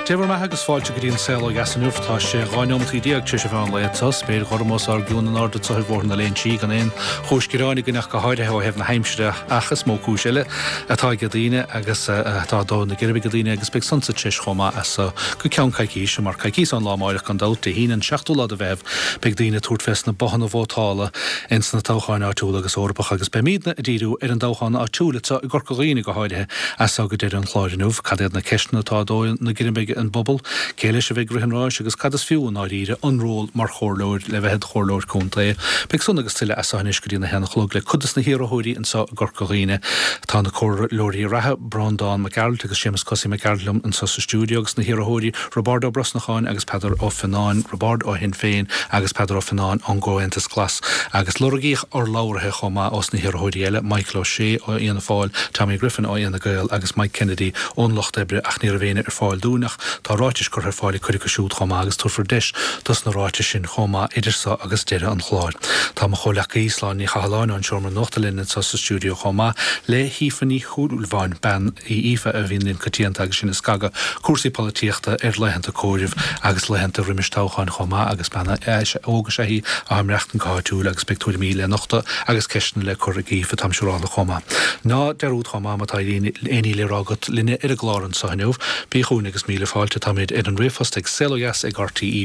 Dé bhur mbeatha agus fáilte go dtí an Saol Ó Dheas inniu. Tá sé 12 neomataí tar éis an mheán lae anseo. Spéir ghorm os ár gcionn in airde anseo ar Bhóthar na Léinsí gan aon chúis gearáin againn ach go háirithe ó thaobh na haimsire ach is mó cúis eile atá ag daoine agus atá ag dó na geirbe ag daoine agus beidh san sa treis chomh maith as so go ceann coicíse mar coicíos ón lá amáireach gan dabht, Dé hAoine an seachtú lá de Mheitheamh beidh daoine ag tabhairt fés na bothanna vótála ins na toghcháin áitiúla agus Eorpacha agus beimídne ag díriú ar an dtoghchán áitiúil anseo i gCorca Dhuibhne go háirithe as so go deireadh an chláir inniu. Cad iad na ceisteanna atá ag dó na geirbe ag an bpobal? Cé leis a bheidh ag rith an ráis agus cad is fiú i ndáiríre an ról mar chomhairleoir le bheith id chomhairleoir contae? Beidh san agus tuilleadh as so anois go dtí an 1 a chlog le cuid des na hiarrthóirí anseo i gCorca Dhuibhne. Tá na comhairleoirí reatha, Breandán Mac Gearailt agus Séamus Cosaí Mac Gearailt liom anseo sa stiúideo agus na hiarrthóirí Roibeárd Ó Brosnacháin agus Peadar Ó Fionnáin, Roibeárd ó Shinn Féin agus Peadar Ó Fionnáin ón gComhaontas Glas agus lorgaíodh urlabhraithe chomh maith ós na hiarrthóirí eile, Michael Ó Sé ó Fhianna Fáil, Tommy Griffin ó Fhine Gael agus Mike Kennedy ón Lucht Oibre ach ní raibh éinne ar fáil dúinn ach tá ráitis curtha ar fáil ag cuid acu siúd chomh maith agus tabharfar deis dos na ráitis sin chomh maith idir so agus deireadh an chláir. Tá mo chomhleacaí, Sláine Ní Chathalláin ón Seomra Nuachta linn anseo sa stiúideo chomh maith le hAoife Ní Shúilleabháin, bean í Aoife a bhíonn linn coitianta agus sinn ag scagadh cúrsaí polaitíochta ar laethanta comhairimh agus laethanta roimis toghcháin chomh maith agus bean óg is ea í atá ag maireachtaint go háitiúil agus beidh tuairimí le nochtadh agus ceisteanna le cur ag Aoife, táim siúrálta chomh maith. Ná dearúd chomh maith má tá aon ní le rá agat linne ar an gclár anseo inniu, bí chugainn agus míle fáilte. Táimid ar an ríomhphost ag saolodheas ag rte.ie,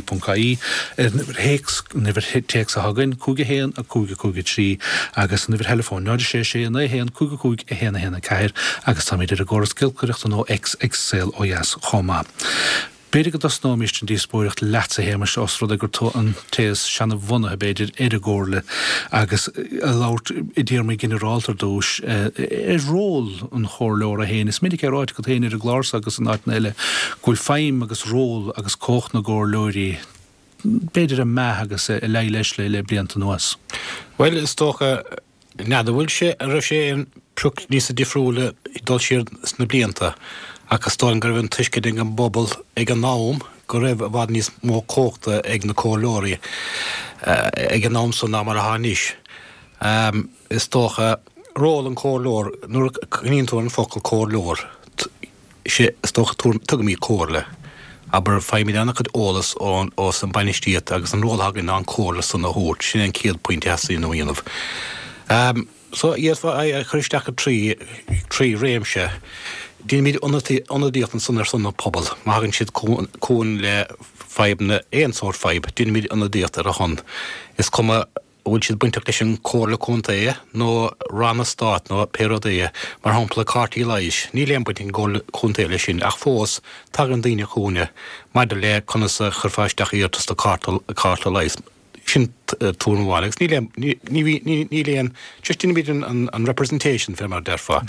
ar an uimhir théacs, an uimhir téacs atá againn, 5 1 5 5 3 agus an uimhir theileafóin, 0 6 6 9 1 5 5 1 1 4 agus táimid ar an gcóras giolcaireachta nó X ag Saol Ó Dheas chomh maith. B'fhéidir go dtosnóimíst an díospóireacht leatsa, a Shéamais, ós rud é gur tú an té is seana-bhunaithe, b'fhéidir, ar an gComhairle agus ag labhairt i dtéarmaí ginearálta ar dtús ar ról an chomhairleora féin. Is minic é ráite agat féin ar an gclár seo agus in áiteanna eile go bhfuil feidhm agus ról agus cumhacht na gcomhairleoirí b'fhéidir ag meath agus ag leí leis le blianta anuas. Bhuel, is dócha N'fheadar bhfuil sé, an raibh sé aon pioc níosa difriúla ag dul siar sna blianta ach is dóigh liom go raibh an tuiscint ag an bpobal ag an am go raibh i bhfad níos mó cumhachta ag na comhairleoirí ag an am san ná mar atá anois. Is dócha, ról an chomhairleoir, nuair a chuimhníonn tú ar an focal comhairleoir, Sé is dócha tugaimid comhairle. Abair, faighimid an-chuid eolas ón ós an bainistíocht agus an ról atá againn ná an comhairle san a thabhairt. Sin é an chéad pointe a theastaíonn a dhéanamh. So, d'fhéadfá é a chur isteach i dtrí, trí réimse. Déanaimid ionadaíocht ansan ar son an pobail. Má thagann siad chugainn le fadhbanna, aon sórt fadhb, déanaimid ionadaíocht ar a shon. Is cuma. an bhfuil siad bainteach leis an Chomhairle Contae nó Ranna Stáit nó pé rud é, mar shampla cártaí leighis, níl aon baint ag an gComhairle Contae leis sin ach fós tagann daoine chugainne maidir le conas a chuirfeá isteach iarratas do chárta leighis, sin tuairim amháin agus níl aon, ní, ní, níl aon, just déanaimid an, an representation fé mar a déarfá.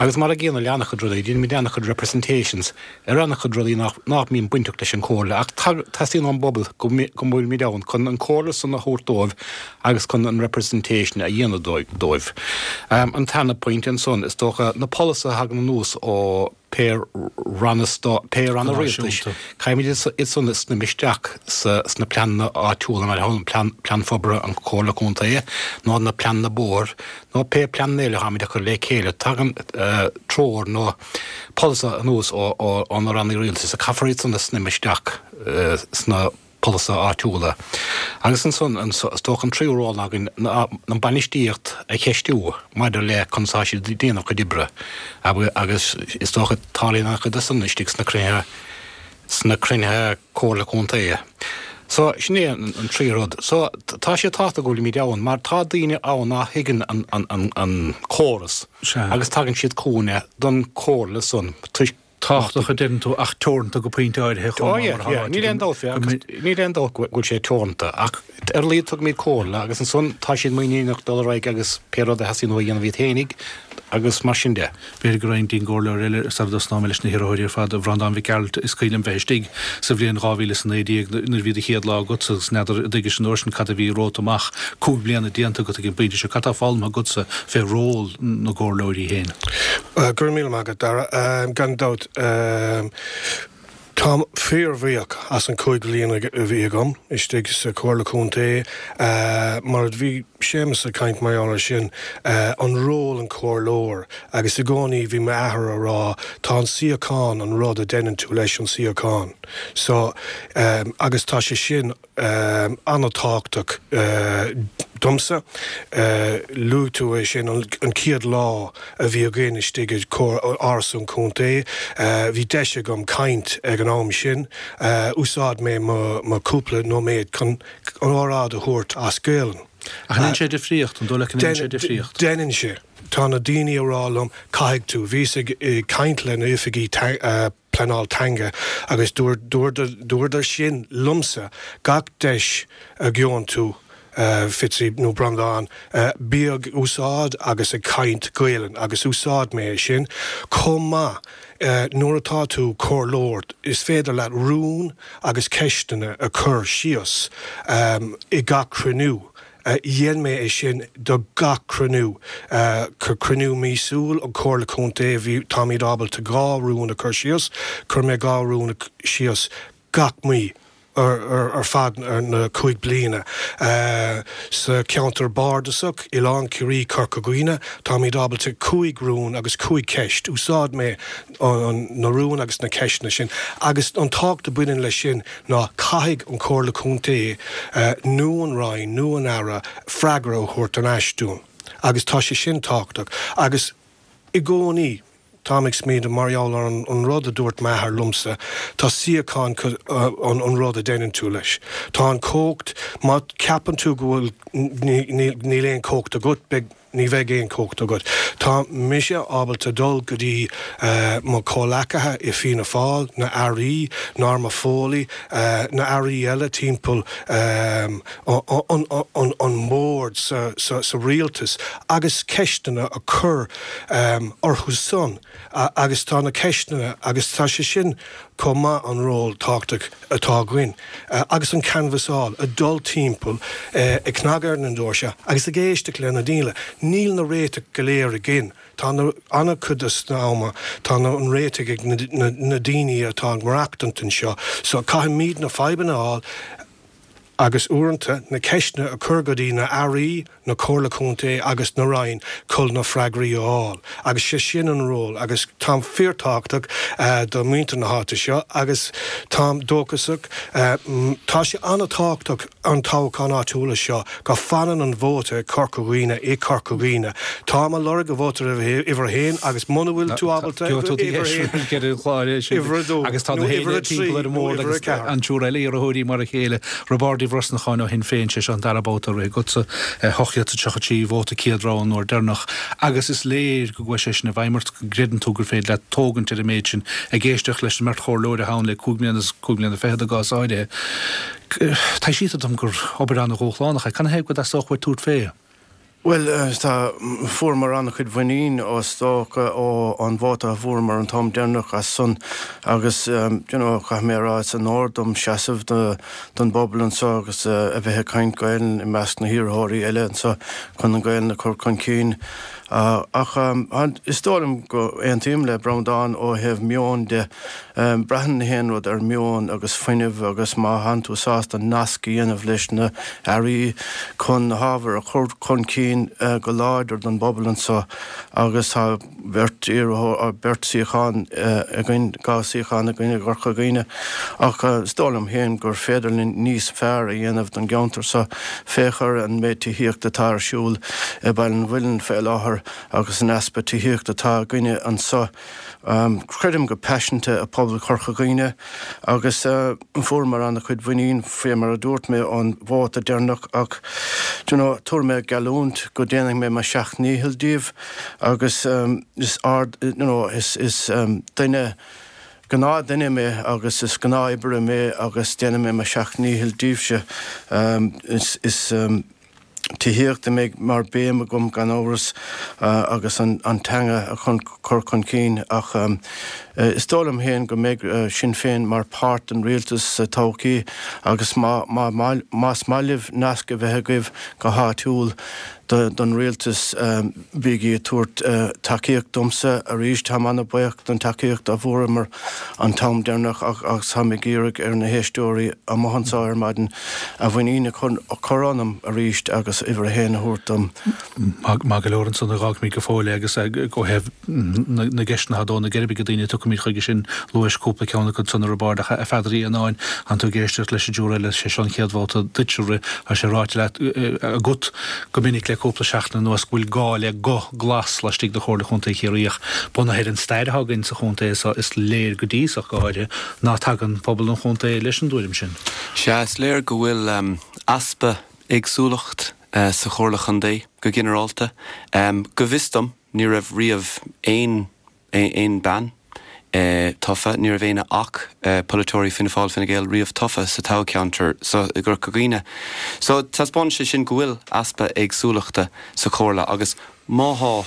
Agus mar an gcéanna le an-chuid rudaí, déanaimid an-chuid representations ar an-chuid rudaí nach mbíonn bainteach leis an Chomhairle ach teastaíonn ón bpobal go bhfuilimid ann chun an chomhairle san a thabhairt dóibh agus chun an representation a dhéanamh dóibh. An tarna pointe ansan, is dócha, na polasaithe a thagann anuas ó pé ranna pé ranna rialtais, caithfimid iad san a shníomh isteach sna pleananna áitiúla, mar shampla plean forbartha an Chomhairle Contae nó na pleananna bóthair nó pé pleananna eile atáimid a chur le chéile. Tagann treoir nó polasaithe anuas ó na ranna rialtais, caithfear iad san a shníomh isteach sna polasaithe áitiúla. Agus ansan, is dócha an tríú ról againn ná an bainistíocht a cheistiú maidir le conas atá siad ag déanamh a gcuid oibre agus is dócha tarlaíonn an-chuid de san istigh sna cruinnithe sna cruinnithe Comhairle Contae. So, sin é an trí rud. So, tá sé tábhachtach go bhfuilimid ann mar tá daoine ann ná thuigeann an córas agus tagann siad chugainne don chomhairle san toisc Tábhachtach a deireann tú ach teoranta go pointe áirithe chomh maith mar atá ráite. Níl aon dabht fé agus níl aon dabht go bhfuil sé teoranta ach ar a laghad tugaimid comhairle agus ansan tá siad muiníneach dul ar aghaidh agus pé rud a theastaíonn uathu a dhéanamh iad fhéinig agus mar sin de. B'fhéidir go raghainn dtí'n gcomhairleoir eile sara dtosnóidh mé leis na hiarrthóirí ar fad, a Bhreandáin Mhic Gearailt, is cuimhin liom bheith istigh sa bhliain 2019 nuair a bhí do chéad lá agatsa agus n'fheadar an dtuigis an uair sin cad a bhí romhat amach, 5 bliana déanta agat ag an bpointe seo, cad tá foghlamtha agatsa fé ról na gcomhairleoirí féin? Go raibh míle maith agat, Dara. Gan dabht. Táim fíorbhuíoch as an 5 bhliain a bhí agam istigh sa Chomhairle Contae. Mar a bhí Séamus ag caint mar gheall air sin, an ról an comhairleoir agus i gcónaí bhí m'athair a rá tá an suíochán an rud a deineann tú leis an suíochán. So, agus tá sé sin an-tábhachtach domsa. Luaigh tú é sin, an chéad lá a bhí againn istigh i Áras an Chontae, bhí deis agam caint ag an am sin. Úsáid mé mo chúpla nóiméad chun an óráid a thabhairt as Gaelainn. Ach an ndéanann sé difríocht? An dóigh leat go ndéanann sé difríocht? Déanann sé. Tá na daoine a rá liom, caithfidh tú. Bhíos ag caint le na oifigí pleanáil teanga agus dúradar sin liomsa, gach deis a gheobhann tú, Fitzy nó Breandán, bí ag úsáid agus ag caint Gaelainn agus úsáid mé é sin. Chomh maith, nuair atá tú comhairleoir is féidir leat rún agus ceisteanna a chur síos i gach cruinniú. Dhein mé é sin do gach cruinniú. Cruinniú míosúil an Chomhairle Contae, bhí, táimid ábalta 2 rún a chur síos. Chuir mé 2 rún síos gach mí ar feadh na 5 bliana. Sa cheantar bardasach, Oileán Ciarraí, Corca Dhuibhne, táimid ábalta 5 rún agus 5 ceist. Úsáid mé na rúin agus na ceisteanna sin agus an tábhacht a bhaineann leis sin ná caithfidh an Chomhairle Contae nó an Roinn nó an Aire freagra a thabhairt ar ais dúinn agus tá sé sin tábhachtach agus i gcónaí táim ag smaoineamh mar gheall ar an rud a dúirt m'athair liomsa, tá suíochán an rud a deineann tú leis. Tá an chumhacht, má cheapann tú go bhfuil níl aon chumhacht agat, beidh Ní bheidh aon chumhacht agat. Tá mise ábalta dul go dtí mo chomhleacaithe i Fianna Fáil, na Airí, Norma Foley, na Airí eile timpeall an mbord sa rialtas agus ceisteanna a chur orthu san agus tá na ceisteanna agus tá sé sin chomh maith an ról tábhachtach atá againn agus an canbhasáil, ag dul timpeall, ag cnagadh ar na doirse agus ag éisteacht le na daoine. Níl na réitigh go léir againn. Tá na, an-chuid de na ama, tá na, an réitigh ag na, na daoine atá ag maireachtaint anseo. So caithfimid na fadhbanna a fháil agus uaireanta na ceisteanna a chur go dtí na Airí, na Comhairle Contae agus na Roinn chun na freagraí a fháil agus sé sin an ról agus táim fíorthábhachtach do mhuintir na háite seo agus táim dóchasach. Tá sé an-tábhachtach an toghchán áitiúla seo go fanann an vóta i Corca Dhuibhne i Corca Dhuibhne. Táim a lorg a vóta uimhir a haon agus muna bhfuil tú ábalta uimhir a haon, uimhir a dó nó uimhir a trí nó uimhir a ceathair. An triúr eile iarrthóirí mar a chéile. Roibeárd Uí Bhrosnacháin ó Shinn Féin, sé seo an dara babhta ag rith agatsa, 833 vóta céad rogha an uair deireanach agus is léir go gcuaigh sé sin i bhfeidhm ort, go gcreideann tú gur féidir leat tógaint ar an méid sin. Ag éisteacht leis an mbeirt chomhairleoir atá ann le cúig mbliana is cúig mbliana fichead i gcás áirithe, taibhsítear dom gur obair an-dhúshlánach é. Canathaobh go dteastódh uait tabhairt fé? Bhuel, tá, fuaireamar an-chuid mhuinín is dócha ó an vóta a fuaireamar an t-am deireanach as san agus you know caithfidh mé a rá is onóir dom seasamh do don bpobal anseo agus a bheith ag caint Gaelainn i measc na hiarrthóirí eile anseo chun an Ghaelainn a chur chun cinn. Ach is dóigh liom go aontaím le Breandán ó thaobh meoin de. Braitheann na haon rud ar meon agus fuinneamh agus má thánn tú sásta nasc a dhéanamh leis na hairí chun na hábhair a chur chun cinn go láidir don bpobal anseo agus tá beirt iarrthóir, beirt suíochán againn, 2 suíochán againn i gCorca Dhuibhne ach is dóigh liom féin gur féidir linn níos fearr a dhéanamh don gceantar seo. Féach ar an méid tithíochta atá ar siúl i Baile an Mhuilinn fé láthair agus an easpa tithíochta atá againne anseo. Creidim go paiseanta i pobal Chorca Dhuibhne agus fuaireamar an-chuid mhuinín fé mar a dúirt mé ón vóta deireanach ach do you know tabharfaidh mé geallúint go déanfaidh mé mo sheacht ndícheall díobh agus is ard you know is is duine gnáth duine mé agus is gnáth oibrí mé agus déanfaidh mé mo sheacht ndícheall díbhse is is tithíocht a mbeidh mar béim agam gan amhras agus an teanga a chur chun cinn ach is dóigh liom féin go mbeidh Sinn Féin mar páirt den rialtas sa todhchaí agus más maith libh nasc a bheith agaibh go háitiúil. Don rialtas, bígí ag tabhairt tacaíocht domsa arís. Táim an-bhuíoch don tacaíocht a bhfuaireamar an t-am deireanach agus táim ag iarraidh ar na héisteoirí amuigh anseo ar maidin a mhuinín a chur ionam arís agus uimhir a haon a thabhairt dom. Maith go leor ansan fágfaimid go fóill é agus ó thaobh na gceisteanna atá ag dó na geirbe ag daoine tiocfaimid chuige sin luais cúpla ceann acu san ar an bord ach a Pheadair Uí Annáin tánn tú ag éisteacht leis an dtriúr eile sé seo an chéad bhabhta duit a rith tá sé ráite leat agat go minic le cúpla seachtain anuas go bhfuil gá le guth glas laistigh de Chomhairle Chontae Chiarraí ach bunaithe ar an stair atá againn sa chontae so is léir go dtí so go háirithe ná tagann pobal an chontae leis an dtuairim sin. Sea, is léir go bhfuil easpa éagsúlacht sa Chomhairle Chontae go ginearálta. Go bhfios dom, ní raibh riamh aon aon bean tofa, ní raibh éinne ach polaiteoirí Fianna Fáil, Fine Gael riamh tofa sa toghcheantar so i gCorca Dhuibhne. So taispeánann sé sin go bhfuil easpa éagsúlachta sa Chomhairle agus má thá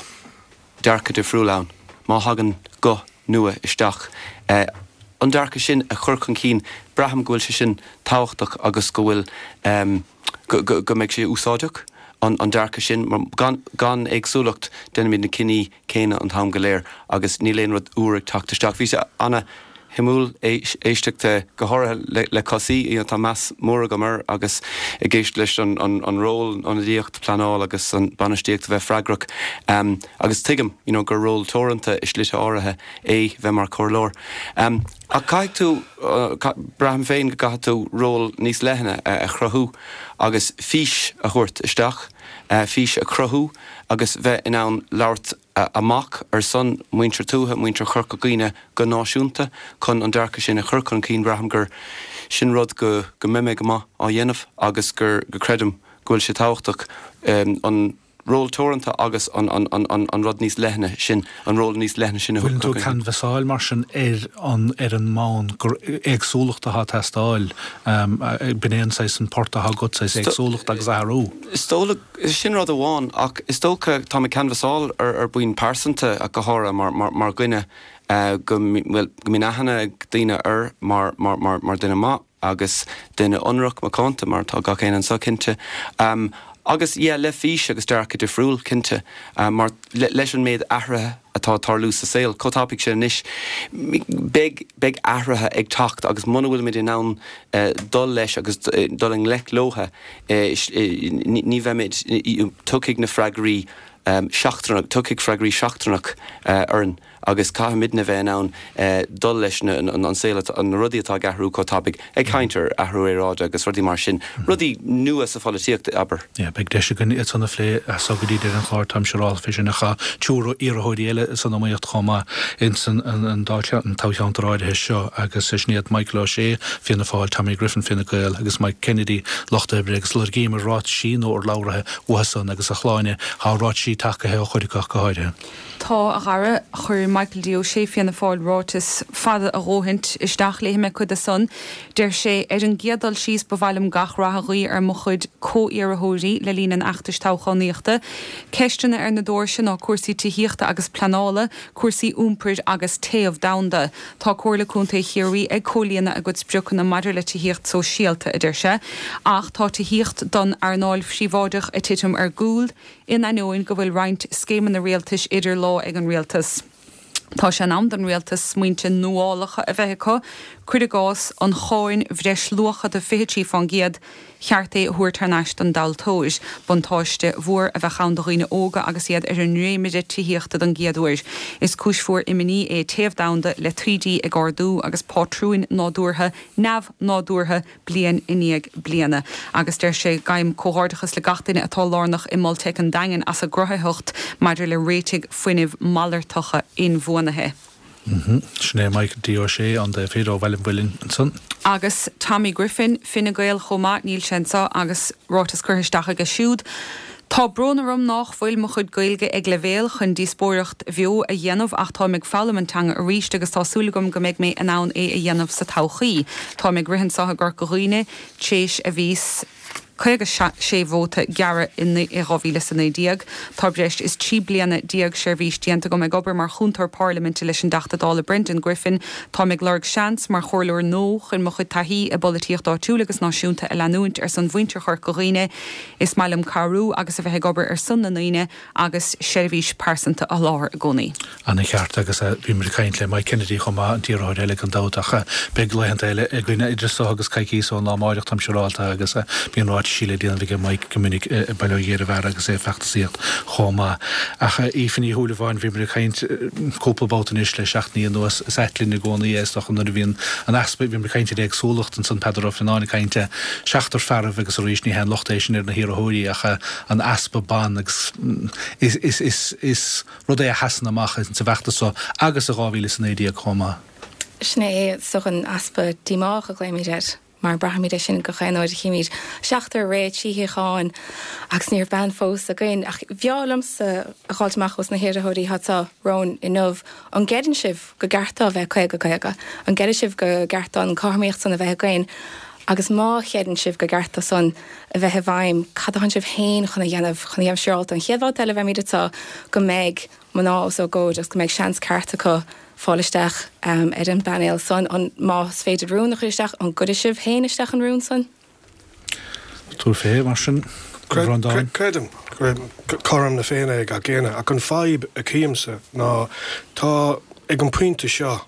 dearcadh difriúil ann, má thagann guth nua isteach, an dearcadh sin a chur chun cinn, braithim go bhfuil sé sin tábhachtach agus go bhfuil go mbeidh sé úsáideach, an dearcadh sin, mar gan éagsúlacht déanaimid na cinní céanna an t-am go léir agus níl aon rud úr ag teacht isteach. Bhí sé ana-shuimiúil éisteacht go háirithe le Cosaí, you know tá meas mór agam air agus ag éisteacht leis an ról, ionadaíocht, pleanáil agus an bainistíocht a bheith freagrach agus tuigim you know gur ról teoranta i slite áirithe é bheith mar chomhairleoir. Ach caithfidh tú, braithim féin go gcaithfidh tú ról níos leithne a chruthú agus fís a thabhairt isteach, fís a chruthú agus bheith in ann labhairt amach ar son muintir tuaithe, muintir Chorca Dhuibhne go náisiúnta chun an dearcadh sin a chur chun cinn. Braithim gur sin rud go go mbeidh mé go maith á dhéanamh agus gur go creidim go bhfuil sé tábhachtach an ról teoranta agus an an rud níos leithne sin, an ról níos leithne sin a Bhfuileann tú ag canbhasáil mar sin ar an ar an mbonn gur éagsúlacht atá ag teastáil, b'in é an saghas an port atá agat, saghas éagsúlacht agus athrú? Is dócha, sin rud amháin, ach is dócha tá mé ag canbhasáil ar ar bhonn pearsanta ach go háirithe mar mar mar dhuine go bhuel go mbíonn aithne ag daoine air mar mar mar mar duine maith. agus duine ionraic, macánta, mar atá gach éinne anseo, cinnte. Agus, yeah, le fís agus dearcadh difriúil, cinnte, mar leis an méid athruithe atá ag tarlú sa saol chomh tapaidh sin anois, beidh, beidh athruithe ag teacht agus muna bhfuilimid in ann dul leis agus dul i ngleic leotha, ní bheimid, tiocfaidh na freagraí seachtrannach, tiocfaidh freagraí seachtrannach orainn. agus caithfimidne bheith in ann dul leis an saol, na rudaí atá ag athrú chomh tapaidh, ag caint ar athrú aeráide agus rudaí mar sin, rudaí nua sa pholaitíocht, abair. Yeah, beidh deis againn iad san a phlé as so go dtí deireadh an chláir, táim siúráilte fé sin, ach tá triúr iarrthóirí eile san iomaíocht chomh maith ins an dá toghcheantar áirithe seo agus sin iad Michael O'Shea, Fianna Fáil, Tommy Griffin, Fine Gael, agus Mike Kennedy, Lucht Oibre, agus lorgaíomar ráitisí nó urlabhraithe uathu san agus a Shláine, tá ráitisí tagaithe ó chuid acu ach go háirithe. Tá, a Dhara. Chuir Michael D. Ó Sé, Fianna Fáil, ráiteas fada a dhóthaint isteach. Léifidh mé cuid de san. Deir sé, Ar an gcéad dul síos, ba mhaith liom gach rath a ghuí ar mo chuid comh-iarrthóirí le linn an fheachtais toghchánaíochta. Ceisteanna ar na doirse ná cúrsaí tithíochta agus pleanála, cúrsaí iompair agus téamh domhanda. Tá Comhairle Contae Chiarraí ag comhlíonadh a gcuid spriocanna maidir le tithíocht sóisialta, a deir sé, ach tá tithíocht don earnáil phríobháideach ag titim ar gcúl. In ainneoin go bhfuil roinnt scéimeanna rialtais idir lámha ag an rialtas, tá sé in am don rialtas smaointe nuálacha a bheith acu, cuir i gcás, an cháin bhreisluacha de 23% cheart é a thabhairt thar n-ais don dtomhaltóir. Buntáiste mhór a bheadh ann do dhaoine óga agus iad ar an ndréimire tithíochta don gcéad uair. Is cúis mhór imní é téamh domhanda le taoidí ag ardú agus pátrúin nádúrtha neamh-nádúrtha bliain i ndiaidh bliana. Agus deir sé, Gabhaim comhghairdeachas le gach duine atá lárnach i Mol Teic an Daingin as a gcruthaitheacht maidir le réitigh fuinnimh malartacha inbhuanaithe. Sin é Michael D. Ó Sé, an taobh thiar ó Bhaile an Mhuilinn ansan. Agus Tommy Griffin, Fine Gael chomh maith, níl sé anseo agus ráiteas curtha isteach aige siúd. Tá brón orm nách bhfuil mo chuid Gaeilge ag leibhéal chun díospóireacht bheo a dhéanamh ach táim ag foghlaim an teanga arís agus tá súil agam go mbeidh mé in ann é a dhéanamh sa todhchaí. Táim ag rith anseo i gCorca Dhuibhne téis a bhíos. 56 vóta gearradh in 2019. Tá breis is 13 bliana seirbhís déanta agam ag obair mar chúntóir parlaiminte leis an dTeachta Dála Brendan Griffin. Táim ag lorg seans mar chomhairleoir nua chun mo chuid taithí i bpolaitíocht áitiúil agus náisiúnta a leanúint ar son mhuintir Chorca Dhuibhne. Is maith liom cabhrú agus a bheith ag obair ar son na ndaoine agus seirbhís pearsanta a sholáthar i gcónaí. Ana cheart agus bhí muid ag caint le Mike Kennedy chomh maith, an t-iarrthóir eile gan dabht ach beidh laethanta eile againn idir seo agus coicíos ón lá amáireach táim siúrálta agus bíonn ráitisí le déanamh aige Mike go minic i Baile Ó Ghéarbheara agus é ag feachtasaíocht chomh maith. Ach Aoife Ní Shúilleabháin, bhí muid ag caint cúpla babhta anois le seachtainí anuas, is ait linn i gcónaí é is dócha nuair a bhíonn an easpa, bhí muid ag caint ar éagsúlacht ansan Peadar Ó Fionnáin ag caint seachtar fearaibh agus arís ní haon locht é sin ar na hiarrthóirí ach an easpa ban agus is is is is rud é a sheasann amach sa bhfeachtas seo agus i 2019 chomh maith. Sin é, is dócha, an easpa díomách a ghlaoimid air, mar braithimid é sin gach aon uair a chímid seachtar réidh, trí shuíochán agus ní raibh bean fós againn. Ach bhreá liomsa a dh'fháilt amach ós na hiarrthóirí atá anseo romhainn inniu, an gcreideann sibh go gceart dó a bheith 50, 50? An gcreideann sibh go gceart don cothromaíocht san a bheith againn? Agus má chreideann sibh go gceart dó san a bheith i bhfeidhm, cad atánn sibh féin chun a dhéanamh chun a dhéanamh siúrálta an chéad bhabhta eile a bheimid anseo go mbeidh mná os ár gcomhair agus go mbeidh seans ceart acu fáil isteach ar an bpainéal san? An, más féidir rún a chur isteach, an gcuirfidh sibh féin isteach an rún san? Tabhair fé, mar sin, a Bhreandáin. Creidim cothrom na Féinne é gach éinne, ach an fadhb a chímse ná tá, ag an pointe seo,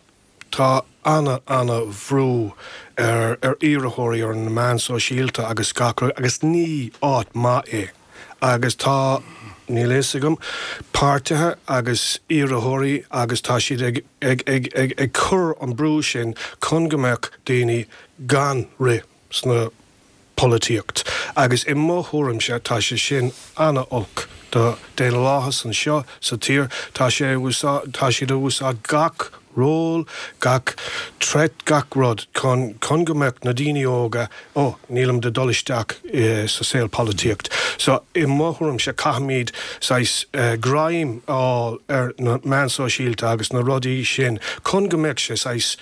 Tá ana, ana bhrú ar ar iarrthóirí ar na meáin sóisialta agus gach rud agus ní áit maith é agus tá, níl a fhios agam, páirtithe agus iarrthóirí agus tá siad ag ag ag ag ag cur an brú sin chun go mbeadh daoine gan rith sna polaitíocht agus i mo thuairimse tá sé sin ana-olc do daonlathas anseo sa tír. Tá sé tá siad a úsáid gach ról, gach threat, gach rud chun chun go mbeadh na daoine óga oh nílim de dul isteach sa saol polaitíocht. So i mo thuairimse caithfimid saghas greim a fháil ar na meáin sóisialta agus na rudaí sin chun go mbeadh sé saghas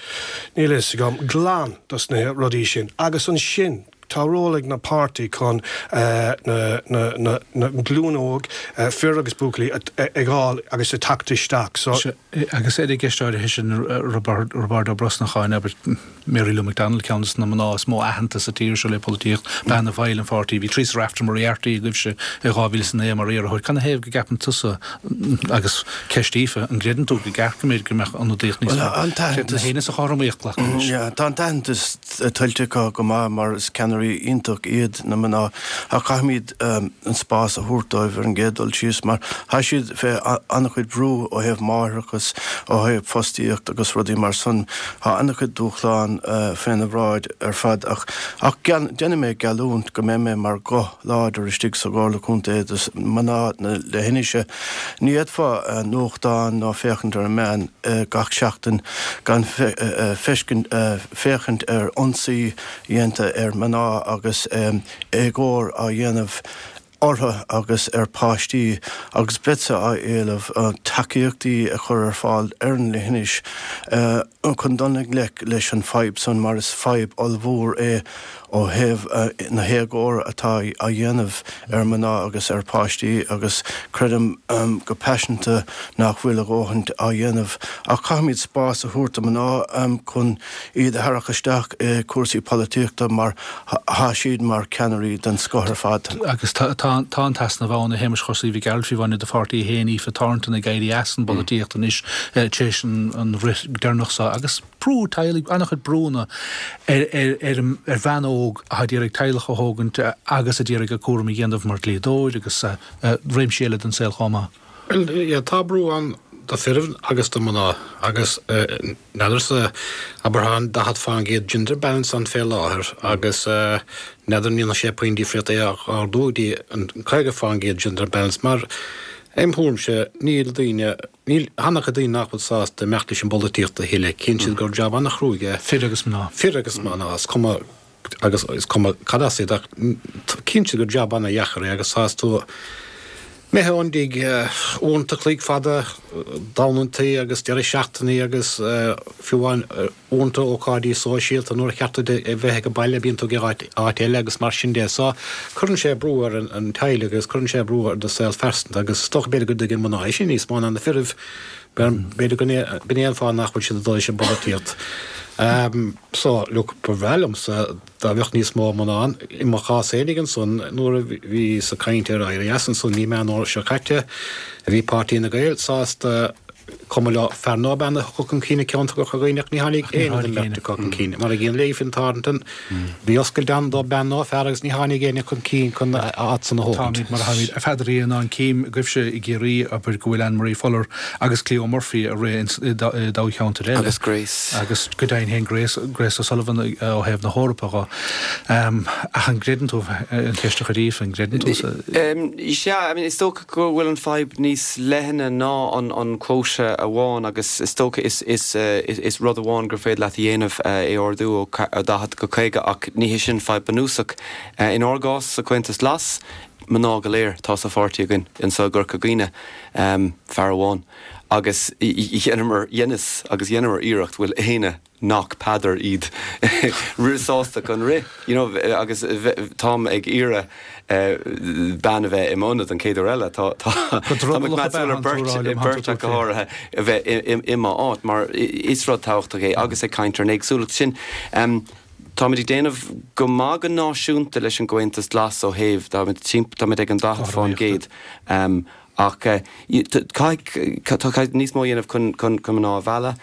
níl a fhios agam glan dos na rudaí sin agus ansin tá ról ag na páirtí chun na na na glúin óg, fir agus buachaillí, ag fháil agus ag teacht isteach. So. Agus ar an gceist áirithe sin, Roibeárd Ó Brosnacháin, abair, Mary Lou McDonald, ceann des na mná is mó aitheantas sa tír seo le polaitíocht, bean a bhaill an pháirtí, bhí Theresa Wrafter Moriarty agaibhse i 2009 mar iarrthóir. Canathaobh go gceapann tusa Agus ceist Aoife, an gcreideann tú go gceart go mb'fhéidir go mbeadh ionadaíocht níos mó? Creideann na héinne sa chothromaíocht glacadh leis? Tá an t-aitheantas tuillte acu go maith mar is ceannairí iontach iad na mná ach caithfimid an spás a thabhairt dóibh ar an gcéad dul síos mar tá siad fé an-chuid brú ó thaobh máithreachas, ó thaobh fostaíocht agus rudaí mar san. Tá an-chuid dúshlán féna bhráid ar fad ach ach déanfaidh mé geallúint go mbeidh mé mar ghuth láidir istigh sa gComhairle Contae do mná na leithinise. Ní fhéadfá nuachtán ná féachaint ar an meán gach seachtain gan feiscint féachaint ar ionsaí dhéanta ar mná agus éagóir á dhéanamh orthu agus ar páistí agus beadsa á éileamh tacaíochtaí a chur ar fáil ar an leithinis chun dul i ngleic leis an fadhb san mar is fadhb ollmhór é ó thaobh na héagóra atá á dhéanamh ar mná agus ar pháistí agus creidim go paiseanta nach bhfuil a dhóthaint á dhéanamh ach caithfimid spás a thabhairt do mná chun iad a tharrac isteach i cúrsaí polaitíochta mar tá siad mar ceannairí den scoth ar fad. Agus tá an t-easnamh ann, a Shéamais Chorsaí Mhic Gearailt, fiú amháin i do pháirtí féin, Aoife Thornton ag éirí as an bpolaitíocht anois tar éis an rith deireanach seo agus. brú teaghlaigh, an-chuid brúnna ar ar bhean óg atá d'iarraidh teaghlach a thógaint agus a d'iarraidh a cúram a dhéanamh mar dhlíodóir agus réimsí eile den saol chomh maith. Bhuel, yeah, tá brú ann do fir agus do mná agus n'fheadarsa, abair tá an 40% gender balance ann fé láthair agus n'fheadar an ndéanfaidh sé puinn difríocht é a ardú go dtí an 50% gender balance mar im thuairimse níl daoine Níl an-chuid daoine nach bhfuil sásta imeacht leis an bpolaitíocht a thuilleadh. Cíonn siad gur jab an-chruaidh é. Fir agus mná. Fir agus mná, is cuma agus is cuma cad as iad ach cíonn siad gur jab an-dheacair é agus tá tú. Imithe ón dtigh, uaireanta chloig fada, Domhnantaí agus deireadh seachtainí agus fiú amháin uaireanta ócáidí sóisialta nuair a cheart duit a bheith ag an baile bíonn tú ag áit eile agus mar sin de. So cuireann sé brú ar an teaghlaigh agus cuireann sé brú ar do saol phearsanta agus is dócha b'fhéidir go dtuigeann mná é sin níos mó ná na firibh. B'fhéidir go b'in é an fáth nach bhfuil siad ag dul leis an bpolaitíocht. So look, ba bhreá liomsa Dá mbeadh níos mó mná ann, i mo chás fhéinig ansan, nuair a bhíos ag caint ar Éirí As ansan mí Meán Fhómhair seo caite, bhí Páirtí na Gael sásta cuma leo fear nó bean a thiocfadh chun cinn i gceantar Chorca Dhuibhne ach ní tháinig éinne den mbeirt acu chun cinn. Mar a gcéanna le Aoife Thornton, bhí oscailt ann do bean nó fear agus ní tháinig éinne chun cinn chun a áit san a thógaint. Táimid mar a tháimid. A Pheadair, in ann cím agaibhse i gCiarraí, abair, go bhfuil Anne Marie Fuller agus Cleo Murphy ag rith i dtoghcheantair eile. Agus Grace. Agus go deimhin féin Grace, Grace O'Sullivan ó thaobh na hEorpa dho. Ach an gcreideann tú, an cheist a chuir Aoife, an gcreideann tú sa. Sea, I mean is dócha go bhfuil an fadhb níos leithne ná an quota amháin agus is dócha is, is, is rud amháin gur féidir leat a dhéanamh é ardú ó 40 go 50 ach ní hé sin fadhb bunúsach. Inár gcás sa Chomhaontas Glas, mná go léir atá sa pháirtí againn anseo i gCorca Dhuibhne, fear amháin. Agus dheineamar, dheineas agus dheineamar iarracht, bhfuil éinne nach Peadar iad sásta chun rith, you know, agus táim ag iarraidh bean a bheith i m'ionad an chéad uair eile. Tá, tá, táim ag meas ar beirt, beirt ach go háirithe a bheith i m'áit mar is rud tábhachtach é agus ag caint ar an éagsúlacht sin. Táimid ag déanamh go maith go náisiúnta leis an gComhaontas Glas ó thaobh, táimid timpeall, táimid ag an 40%, ach caithfidh, caithfidh níos mó a dhéanamh chun, chun, chun mná a mhealladh,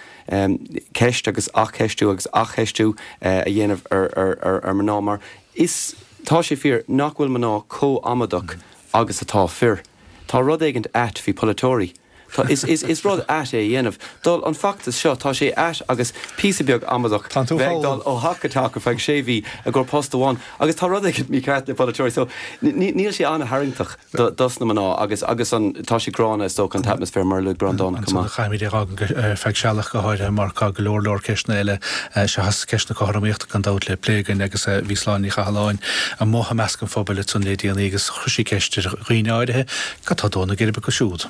ceist agus athcheistiú agus athcheistiú a dhéanamh ar, ar, ar, ar mná mar is, tá sé fíor nach bhfuil mná chomh hamadach agus atá fir. Tá rud éigint ait faoi polaiteoirí. Tá, is, is, is rud ait é a dhéanamh. Dul, an feachtas seo, tá sé ait agus píosa beag amadach Tá tú bheith ag dul ó theach go teach ar feadh sé mhí i gcomhair post amháin agus tá rud éigin mícheart le polaiteoirí so ní, níl sé an-tharraingteach do, dos na mná agus, agus an, tá sé gránna is dócha an t-atmaisféar mar a luaigh Breandán chomh Ansan maith. caithfimid é a fhágaint ar feadh sealach go háirithe mar tá go leor leor ceisteanna eile seachas ceist na cothromaíochta gan dabht le plé againn agus bhí Sláine Ní Chathalláin amuigh i measc an phobail ansan le déanaí agus chuir sí ceist ar dhaoine áirithe Cad tá ag dó na geirbe acu siúd?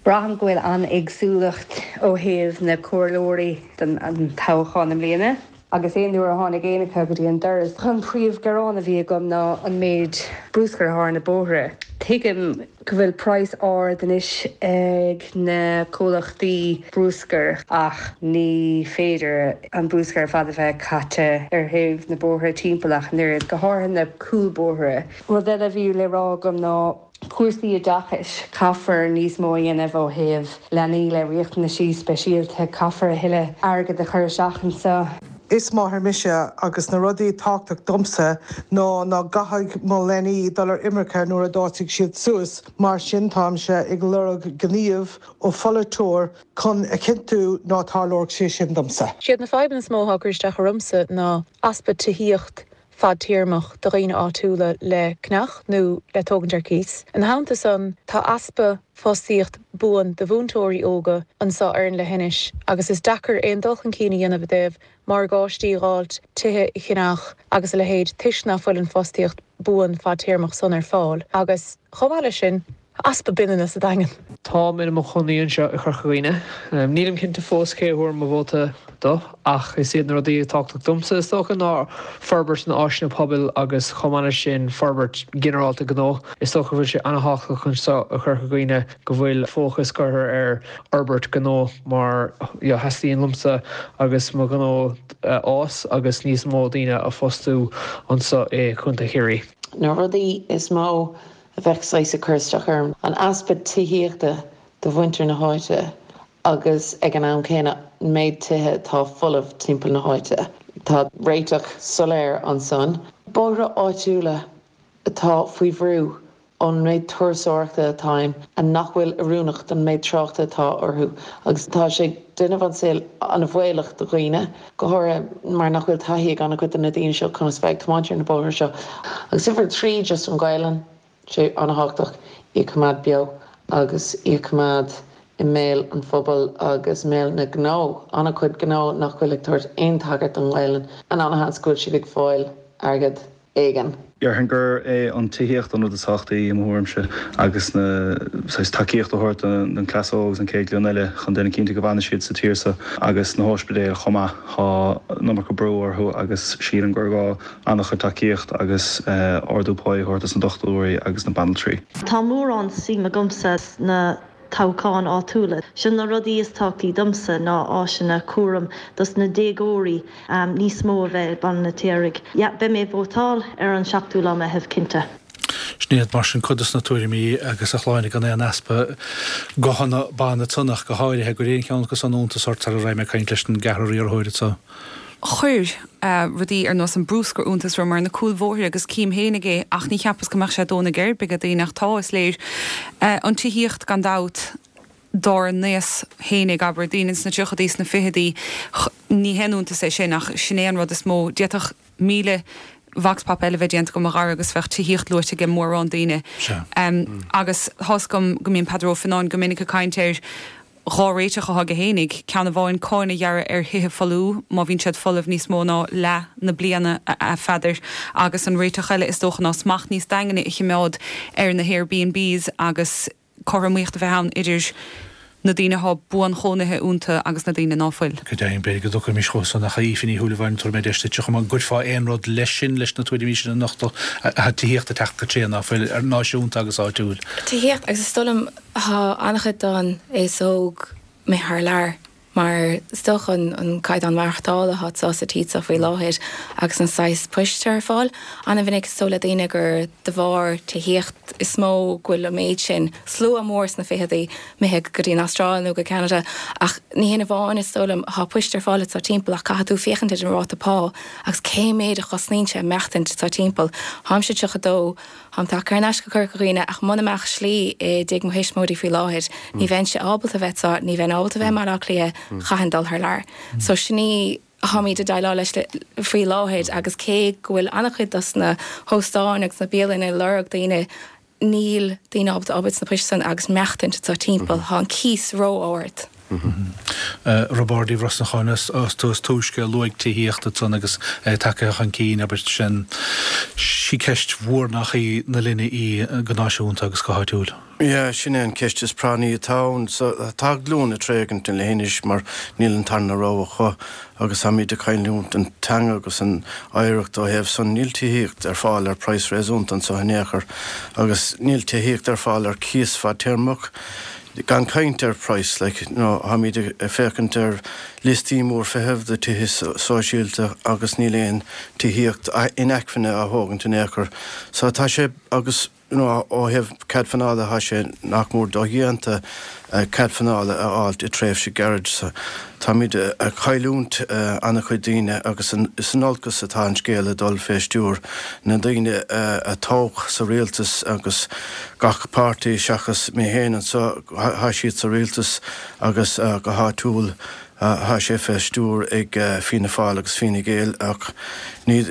Braithim go bhfuil an-éagsúlacht ó thaobh na comhairleoirí don toghchán i mbliana agus aon uair a tháinig éinne acu go dtí an doras, an príomhghearán a bhí agam ná an méid bruscair atá ar na bóithre. Tuigim go bhfuil praghas ard anois ag na comhlachtaí bruscair ach ní féidir an bruscar ar fad a bheith caite ar thaobh na bóithre timpeall ach an oiread, go háirithe na cúlbhóithre. Rud eile a bhí le rá agam ná cúrsaí oideachais. Caithfear níos mó a dhéanamh ó thaobh leanaí le riachtanaisí speisialta. Caithfear a thuilleadh airgead a chur isteach anseo. Is máthair mise agus na rudaí tábhachtach domsa ná ná gcaithfidh mo leanaí dul ar imirce nuair a d'fhásfaidh siad suas, mar sin táimse ag lorg gníomh ó pholaiteoir chun a chinntiú ná tarlóidh sé sin domsa. Siad na fadhbanna is mó atá ag cur isteach ormsa ná easpa tithíocht fadtéarmach do dhaoine áitiúla le ceannach nó le tógaint ar cíos. Ina theannta san, tá easpa fostaíocht buan do mhúinteoirí óga anso ar an leithinis agus is deacair aon dul chun cinn a dhéanamh i dtaobh morgáistí a dh'fháilt, tithe a cheannach agus a leithéid toisc ná fuil an fostaíocht buan fadtéarmach san ar fáil agus, chomh maith leis sin, Easpa binnanna sa Daingean. Táim i mo chónaí anseo i Chorca Dhuibhne. Nílim cinnte fós cé a thabharfaidh mo vóta do, ach is iad na rudaí atá tábhachtach domsa, is dócha, ná forbairt na áiseanna pobail agus chomh maith leis sin forbairt ghinearálta gnó. Is dócha go bhfuil sé an-thábhachtach anseo i Chorca Dhuibhne go bhfuil fócas curtha ar fhorbairt gnó mar theastaíonn liomsa agus mo ghnó fhás agus níos mó daoine a phostú anseo i Contae Chiarraí. Na rudaí is mó a bheadh saghas ag cur isteach orm, an easpa tithíochta do mhuintir na háite agus ag an am céanna an méid tithe atá folamh timpeall na háite. Tá réiteach soiléir ansan. Bóithre áitiúla atá faoi bhrú ón méid turasóireachta atá ann and nach bhfuil oiriúnach don méid tráchta atá orthu agus tá sé ag déanamh an saol an-bhaolach do dhaoine, go háirithe mar nach bhfuil taithí ag an-chuid de na daoine seo conas bheith ag tiomáint ar na bóithre seo. Agus uimhir 3, just an Ghaelainn, sé an-thábhachtach í a choimeád beo agus í a choimeád i mbéal an phobail agus i mbéal na ngnó, an-chuid gnó nach bhfuil ag tabhairt aon tagairt don Ghaelainn, and an-sheans go bhfuil siad ag fáil airgead. éigin. Déarfainn gur é an tithíocht an rud is tábhachtaí i mo thuairimse agus na saghas tacaíocht a thabhairt don cleas óg agus an chéad ghlúin eile chun déanamh cinnte go bhfanfaidh siad sa tír seo agus na hóispidéil chomh maith, tá an iomarca brú orthu agus sílim gur gá an-chuid tacaíocht agus ardú páí a thabhairt dos na dochtúirí agus na banaltraí. Tá mórán suim agamsa sna toghcháin áitiúla. Sin na rudaí is tábhachtaí domsa ná áiseanna cúraim dos na déagóirí níos mó a bheith i Baile an Fheirtéaraigh. Yeah, beidh mé ag vótáil ar an seachtú lá Meitheamh, cinnte. Sin iad mar sin cuid dos na tuairimí agus a Shláine gan aon easpa guthanna ban ansan ach go háirithe an gcuir aon cheann acu san iontas ort sara raibh mé ag caint leis an gceathrar iarrthóir anso. Chuir rudaí ar nós an brúscar iontas orm ar na cúlbhóithre agus cím fhéinig é ach ní cheapas go mbeadh sé dónigh ar bith ag daoine ach tá, is léir. An tithíocht gan dabht, dár n-aos fhéinig, abair, daoine sna tríochadaí, sna ficheadaí, ní haon iontas é sin ach sin é an rud is mó. D'fhéadfadh 1,000 vox pop eile bheith déanta agam a Dhara agus bheadh tithíocht luaite ag mórán daoine. Agus tá's agam go mbíonn Peadar Ó Fionnáin go minic ag caint ar 2 réiteach atá aige fhéinig, ceann amháin cáin a ghearradh ar thithe folmha má bhíonn siad folamh níos mó ná leath na bliana, a Pheadair, agus an réiteach eile is dócha ná smacht níos daingne a chimeád ar na hAirbnbs agus cothromaíocht a bheith ann idir na daoine atá buanchónaithe iontu agus na daoine ná fuil. Go deimhin, b'fhéidir go dtiocfaimis chucu san ach a Aoife Ní Shúilleabháin, tabharfaidh mé deis duitse chomh maith, an gcuirfeá aon rud leis sin, leis na tuairimí sin a nochtadh, tá tithíocht ag teacht go tréan ná fuil, ar náisiúnta agus áitiúil? Tithíocht agus is dóigh liom Tá an-chuid don aos óg imithe thar lear mar is dócha an caighdeán maireachtála atá anseo sa tír seo faoi láthair agus an saghas poist atá ar fáil. An-mhinic is dóigh le daoine gur de bharr tithíocht is mó go bhfuil an méid sin slua mór sna ficheadaí imithe go dtí an Astráil nó go Ceanada ach ní hin amháin is dóigh liom. Tá poist ar fáil anseo timpeall ach caithfidh tú féachaint ar an ráta pá agus cé méid a chosnaíonn sé maireachtaint anseo timpeall. Táimse 32. Táim tagtha thar n-ais go Corca Dhuibhne ach muna mbeadh slí i dtigh mo thuismitheoirí faoi láthair, ní bheinnse ábalta bheith anseo, ní bheinn ábalta bheith i mBaile Átha Cliath, chaithfinn dul thar lear. So sin í tháimid ag déileáil leis faoi láthair agus cé go bhfuil an-chuid dos na hóstáin agus na bialanna ag lorg daoine, níl daoine ábalta obair sna poist san agus maireachtaint anseo timpeall, tá an cíos ró-ard. Roibeárd Uí Bhrosnacháin, is tú is túisce a luaigh tithíocht ansan agus é tagtha chun cinn, abair, sin sí ceist mhór nach í na linne í go náisiúnta agus go háitiúil. Yeah, sin é an ceist is práinní atá ann. So, tá glúin ag tréigint an leithinis mar níl an tarna rogha acu agus táimid ag cailliúint an teanga agus an oidhreacht ó thaobh san. Níl tithíocht ar fáil ar praghas réasúnta anso in aon chor agus níl tithíocht ar fáil ar cíos fadtéarmach. Gan caint ar praghas, like, you know, táimid ag féachaint ar liostaí mór feithimh do tithe sóisialta agus níl aon tithíocht inacmhainne á thógaint in aon chor. So tá sé, agus, you know, ó thaobh cead pleanála tá sé nach mór dodhéanta cead pleanála a fháilt i tréimhse gairid. So táimid ag cailliúint an-chuid daoine agus is in olcas atá an scéal ag dul fé stiúir na ndaoine a toghadh sa rialtas agus gach páirtí seachas mé féin anso, thá siad sa rialtas agus go háitiúil thá sé fé stiúir ag Fianna Fáil agus Fine Gael ach ní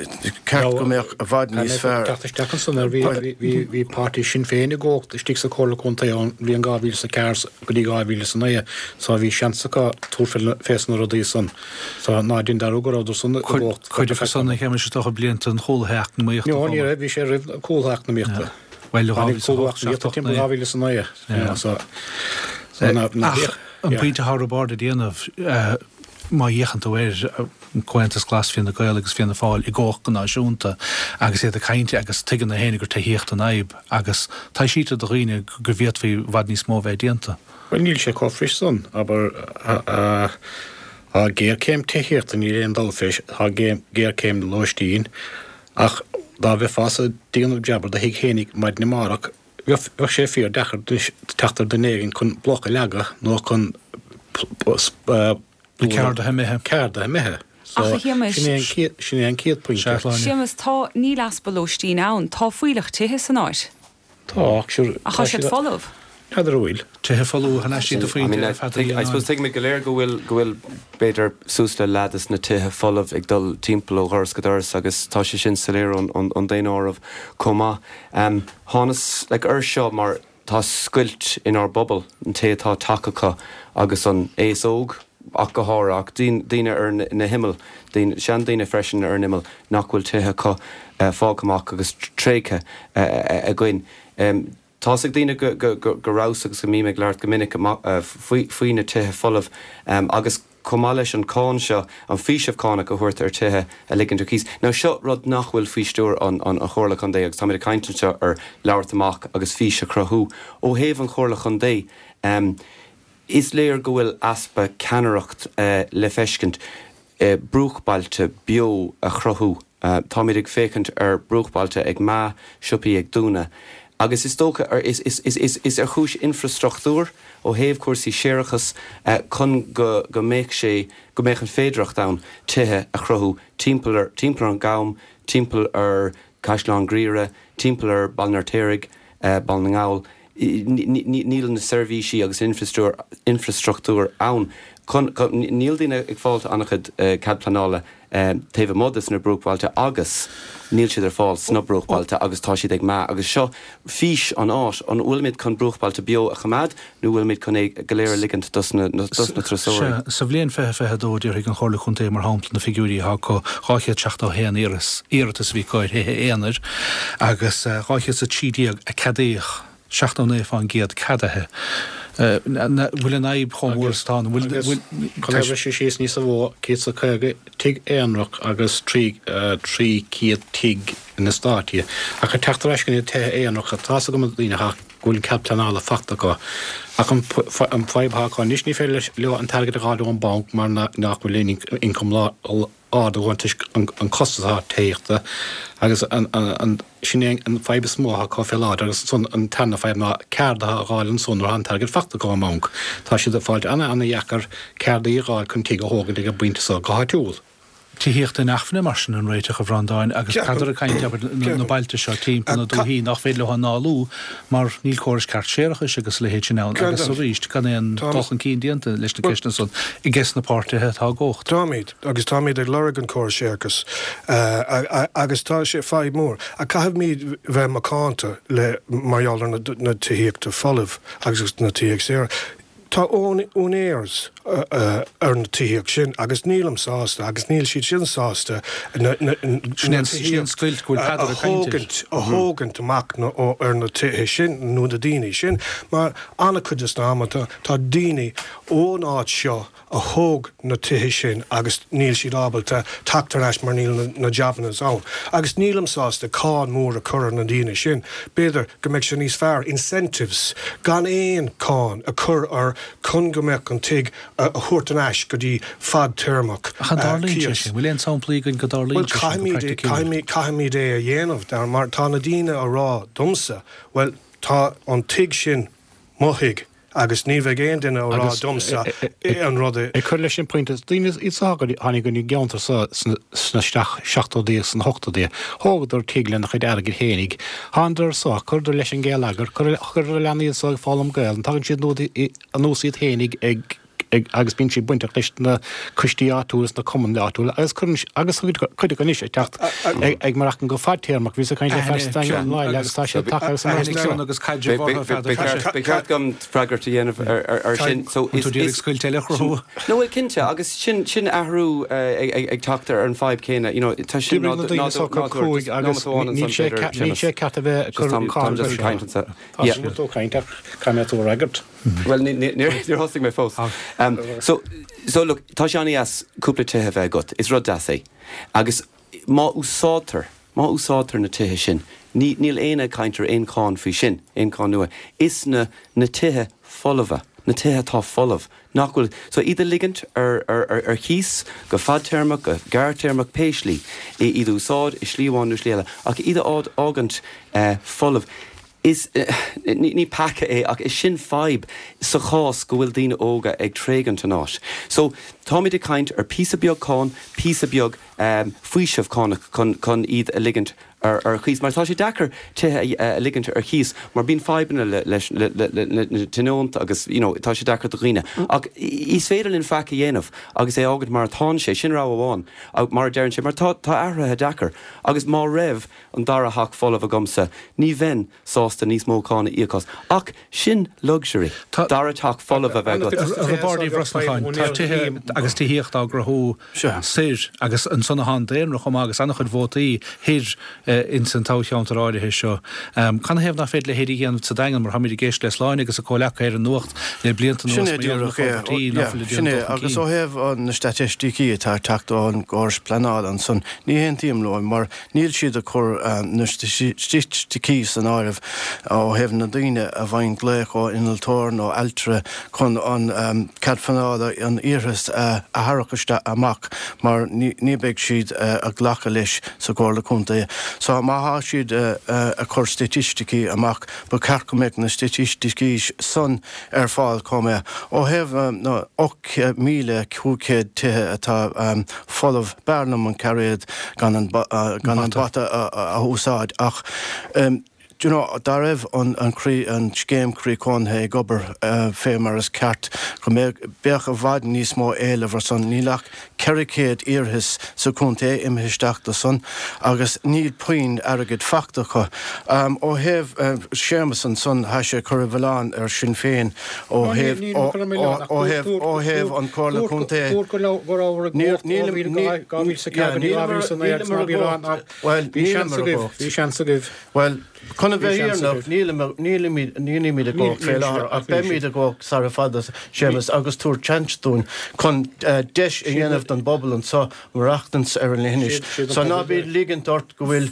ceart go mbeadh i bhfad níos fearr. Teacht isteach ansan ar bhí páirtí Sinn Féin i gcumhacht istigh sa Chomhairle Contae ón bhliain 2004 go dtí 2009 so bhí seans acu tabhairt fés na rudaí san so ná dein dearúd go rabhadar san i gcumhacht. Cuid acu san a Shéamais is dócha blianta an chúlaithe eacnamaíochta. No ní raibh, bhí sé roimh an chúlaithe eacnamaíochta. Bhuel, 2008, 7, 8, 9. 2009. Ach an pointe atá Roibeárd ag déanamh, má fhéachann tú ar an Comhaontas Glas, Fianna Gael agus Fianna Fáil i gcumhacht go náisiúnta agus iad ag caint agus tuigeann na héinne gur tithíocht an fhadhb agus taibhsítear do dhaoine go bhféadfaí i bhfad níos mó a bheith déanta. Bhuel níl sé chomh fuirist san, abair, tá géarchéim tithíochta, níl aon dabht fé, tá géarchéim lóistín, Ach dá mbeifeása ag déanamh jab ar do thigh fhéinig maidin amárach, bheadh sé fíor deacair anois teacht ar duine éigin chun bloc a leagadh nó chun Na ceardaithe imithe. Ceardaithe imithe. So, Ach a Shéamais. sin é an chéad, sin é an chéad pointe. Sea, Sláine. Séamus, tá, níl easpa lóistín ann. Tá fuílleach tithe san áit. Tá, ach sure, Ach tá siad folamh. N'fheadar an bhfuil. Tithe folamh thar n-ais iad a phointe ar feadh I suppose tuigimid go léir go bhfuil, go bhfuil b'fhéidir suas le leath des na tithe folamh ag dul timpeall ó dhoras go doras agus tá sé sin soiléir ón, ón, ón daonáireamh chomh maith. Thánas like air seo mar tá scoilt inár bpobal, an té atá teach acu agus an aos óg. ach go háirithe, ach daoine ar na himill, seandaoine freisin ar an imeall nach bhfuil tithe acu fágtha amach agus tréigthe againn. Tá's ag daoine go rabhas agus go mbím ag labhairt go minic faoi na tithe folamh agus chomh maith leis an cáin seo, an faoiseamh cánach a thabhairt ar tithe a ligint ar cíos. Now seo rud nach bhfuil faoi stiúir an Chomhairle Contae agus táimid ag caint anseo ar labhairt amach agus fís a chruthú. Ó thaobh an Chomhairle Chontae, is léir go bhfuil easpa ceannaireacht le feiscint. Bruachbailte beo a chruthú. Táimid ag féachaint ar bruachbailte ag meath, siopaí ag dúnadh. Agus is dócha, is ar chúis infreastruchtúir, ó thaobh cúrsaí séarachais, chun go go mbeadh sé, go mbeadh an féidearthacht ann tithe a chruthú timpeall ar, timpeall ar an gCam, timpeall ar Chaisleán Ghriaire, timpeall ar Baile an Fheirtéaraigh, Baile na nGall. Níl na seirbhísí agus an infreastruchtúr ann chun, níl daoine ag fáilt an-chuid cead pleanála taobh amuigh de sna bruachbhailte agus níl siad ar fáil sna bruachbailte agus tá siad ag meath agus seo fís an fháis, an bhfuilimid chun bruachbailte beo a choimeád nó bhfuilimid chun é go léir a ligint dos na turasóirí? Sea, sa bhliain 2022 déarfaidh an Chomhairle Contae mar shampla na figiúirí atá acu, 271 iarratas a bhí acu ar thithe aonair agus 213 a ceadaíodh, 79% ceadaithe. An bhfuil an fhadhb chomh mór is atá? An bhfuil, bhfuil, Chun é a bhriseadh síos níosa mhó, 150 tigh aonrach agus 300 tigh in eastáití. Ach ag teacht ar ais go na tithe aonracha, tá's agam na daoine atá go bhfuil an cead pleanála fachta acu. Ach an fadhb atá acu anois, ní féidir leo an t-airgead a dh'fháil ón banc mar nach bhfuil aon ioncam ard acu toisc an costas atá tithíochta agus sin é an fadhb is mó atá acu fé láthair agus ansan an tarna fadhb ná ceardaithe a dh'fháil ansan nuair atá an t-airgead fachta acu ón mbanc. Tá siad ag fáilt ana-ana-dheacair ceardaí a dh'fháil chun tigh a thógaint ag an bpointe so go háitiúil. Tithíocht inacmhainne mar sin an réiteach a Bhreandáin agus Peadar ag caint abair na bailte seo timpeall na dúichí nach féidir leo análú mar níl córas ceart séarachais agus a leithéid sin ann agus arís gan aon dul chun cinn déanta leis na ceisteanna san ages na páirtithe atá i gcumhacht. Táimid, agus táimid ag lorg an córas séarachais agus tá sé fadhb mór. Ach caithfimid bheith macánta le mar gheall ar na tithíochta folamh agus na tithíocht saor. Tá úinéirs ar na tithíocht sin agus nílim sásta agus níl siad sin sásta na tithíocht a thógaint a thógaint amach ar na tithe sin nó na daoine sin mar an-chuid des na amanta tá daoine ón áit seo a thóg na tithe sin agus níl siad ábalta teacht ar ais mar níl na jabannas ann. Agus nílim sásta cáin mór a chur ar na daoine sin. B'fhéidir go mbeadh sé níos fearr incentives gan aon cáin a chur ar chun go mbeadh an tigh a thabhairt ar ais go dtí fadtéarmach Ach an dtarlaíonn sé sin? Bhfuil aon samplaí againn go dtarlaíonn sé sin go praiticiúil? Bhuel caithfimid é a dhéanamh mar tá na daoine a rá domsa bhuel tá an tigh sin mo thigh agus ní bheidh aon duine a rá domsa an rud a. Ag cur leis an pointe, daoine iad so a tháinig go dtí an gceantar so sna seachtóidí agus sna hochtóidí, thógadar tigh lena chuid airgid fhéinig, thánadar anso, chuireadar leis an ngeilleagar, chuireadar a leanaí anso ag foghlaim Gaelainn, tagann siad anuas iad fhéinig ag agus bíonn siad bainteach leis na coistí áitiúla is na cumainn áitiúla agus cuireann agus cuid acu anois ag teacht ag maireachtaint go fadtéarmach. Bhíos ag caint le fear sa Daingean an agus tá sé tagtha agus an ceann agus caidreamh orthu feadh Ba cheart dom freagairt a dhéanamh ar sin. So is tú ag scoilt eile a chruthú. No bhuel cinnte agus sin sin athrú ag teacht ar an fadhb céanna you know tá sin D'oibrigh na daoine so go cruaidh agus níl sé níl sé ceart a bheith ag cur cáin air seo. Tá sé tú ag caint ach caithfidh mé tú a fhreagairt. Bhuel, níor thosaigh mé fós. So, so look, tá sé an-dheas cúpla tithe a bheith agat, is rud deas é. Agus má úsáidtear, má úsáidtear na tithe sin, ní, níl éinne ag caint ar aon cháin faoi sin, aon cháin nua. Is na, na tithe folmha, na tithe atá folamh, nach bhfuil, so iad a ligint ar, ar, ar, ar chíos go fadtéarmach, go gearrtéarmach, pé slí, iad a úsáid i slí amháin nó slí eile, ach iad a fhágaint folamh. Is, ní peaca é, ach is sin fadhb sa chás go bhfuil daoine óga ag tréigint an áit. So, táimid ag caint ar píosa beag cáin, píosa beag faoiseamh cánach chun, chun iad a ligint Ar chíos, mar tá sé deacair tithe a ligint ar chíos mar bíonn fadhbanna leis na tionónta agus you know tá sé deacair do dhaoine. Ach is féidir linn faic a dhéanamh agus é a fhágaint mar atánn sé, sin rogha amháin, mar a deireann sé, mar tá athruithe deacair agus má raibh an dara theach folamh agamsa ní bheinn sásta níos mó cáin a íoc as. Ach sin luxury, dara teach folamh a bheith agat. A Roibeaird Uí Bhrosnacháin, tá tithe agus tithíocht á gcruthú soir agus ansan atá an daonra chomh maith agus an-chuid vótaí thoir ins an toghcheantar áirithe seo. Canathaobh nach féidir a leithéid a dhéanamh sa Daingean mar táimid ag éisteacht le Sláine agus a comhleacaithe ar an Nuacht le blianta anuas mar gheall ar na forbairtí nach bhfuil ag déanamh dul chun cinn. Agus ó thaobh na staitisticí atá ag teacht ón gcóras pleanála ansan, ní haontaím leo mar Níl siad ag cur na staitisticí san áireamh ó thaobh na daoine a bhfaigheann glaoch ó innealtóir nó ailtire chun an cead pleanála, an iarratas a tharrac isteach amach mar ní beidh siad ag glacadh leis sa Chomhairle Contae. So má thá siad ag cur staitisticí amach ba cheart go mbeadh na staitisticí san ar fáil chomh maith. Ó thaobh na 8,500 tithe atá folamh, b'fhearr liom an cairéad gan an gan an bata a úsáid ach do you know dá raibh an an croí an scéim croí cónaithe ag obair fé mar is ceart go mbeadh beadh i bhfad níos mó éileamh ar san. Níl ach 400 iarratas sa chontae imithe isteach do san agus níl puinn airgid fachta acu. Ó thaobh Séamus ansan thá sé ag cur an mhilleáin ar Sinn Féin Ó thaobh ó thaobh ó thaobh an Comhairle Contae níl nílim nílimar i gcumhacht bhuel nílimar i gcumhacht Bhí seans agaibh. Bhuel chun a bheith fírinneach nílim nílimid nílimid i gcumhacht fé láthair ach beimid i gcumhacht sara fada Séamus agus tabhair seans dúinn chun deis a dhéanamh don bpobal anseo maireachtaint ar an leithinis. So ná bí ag ligint ort go bhfuil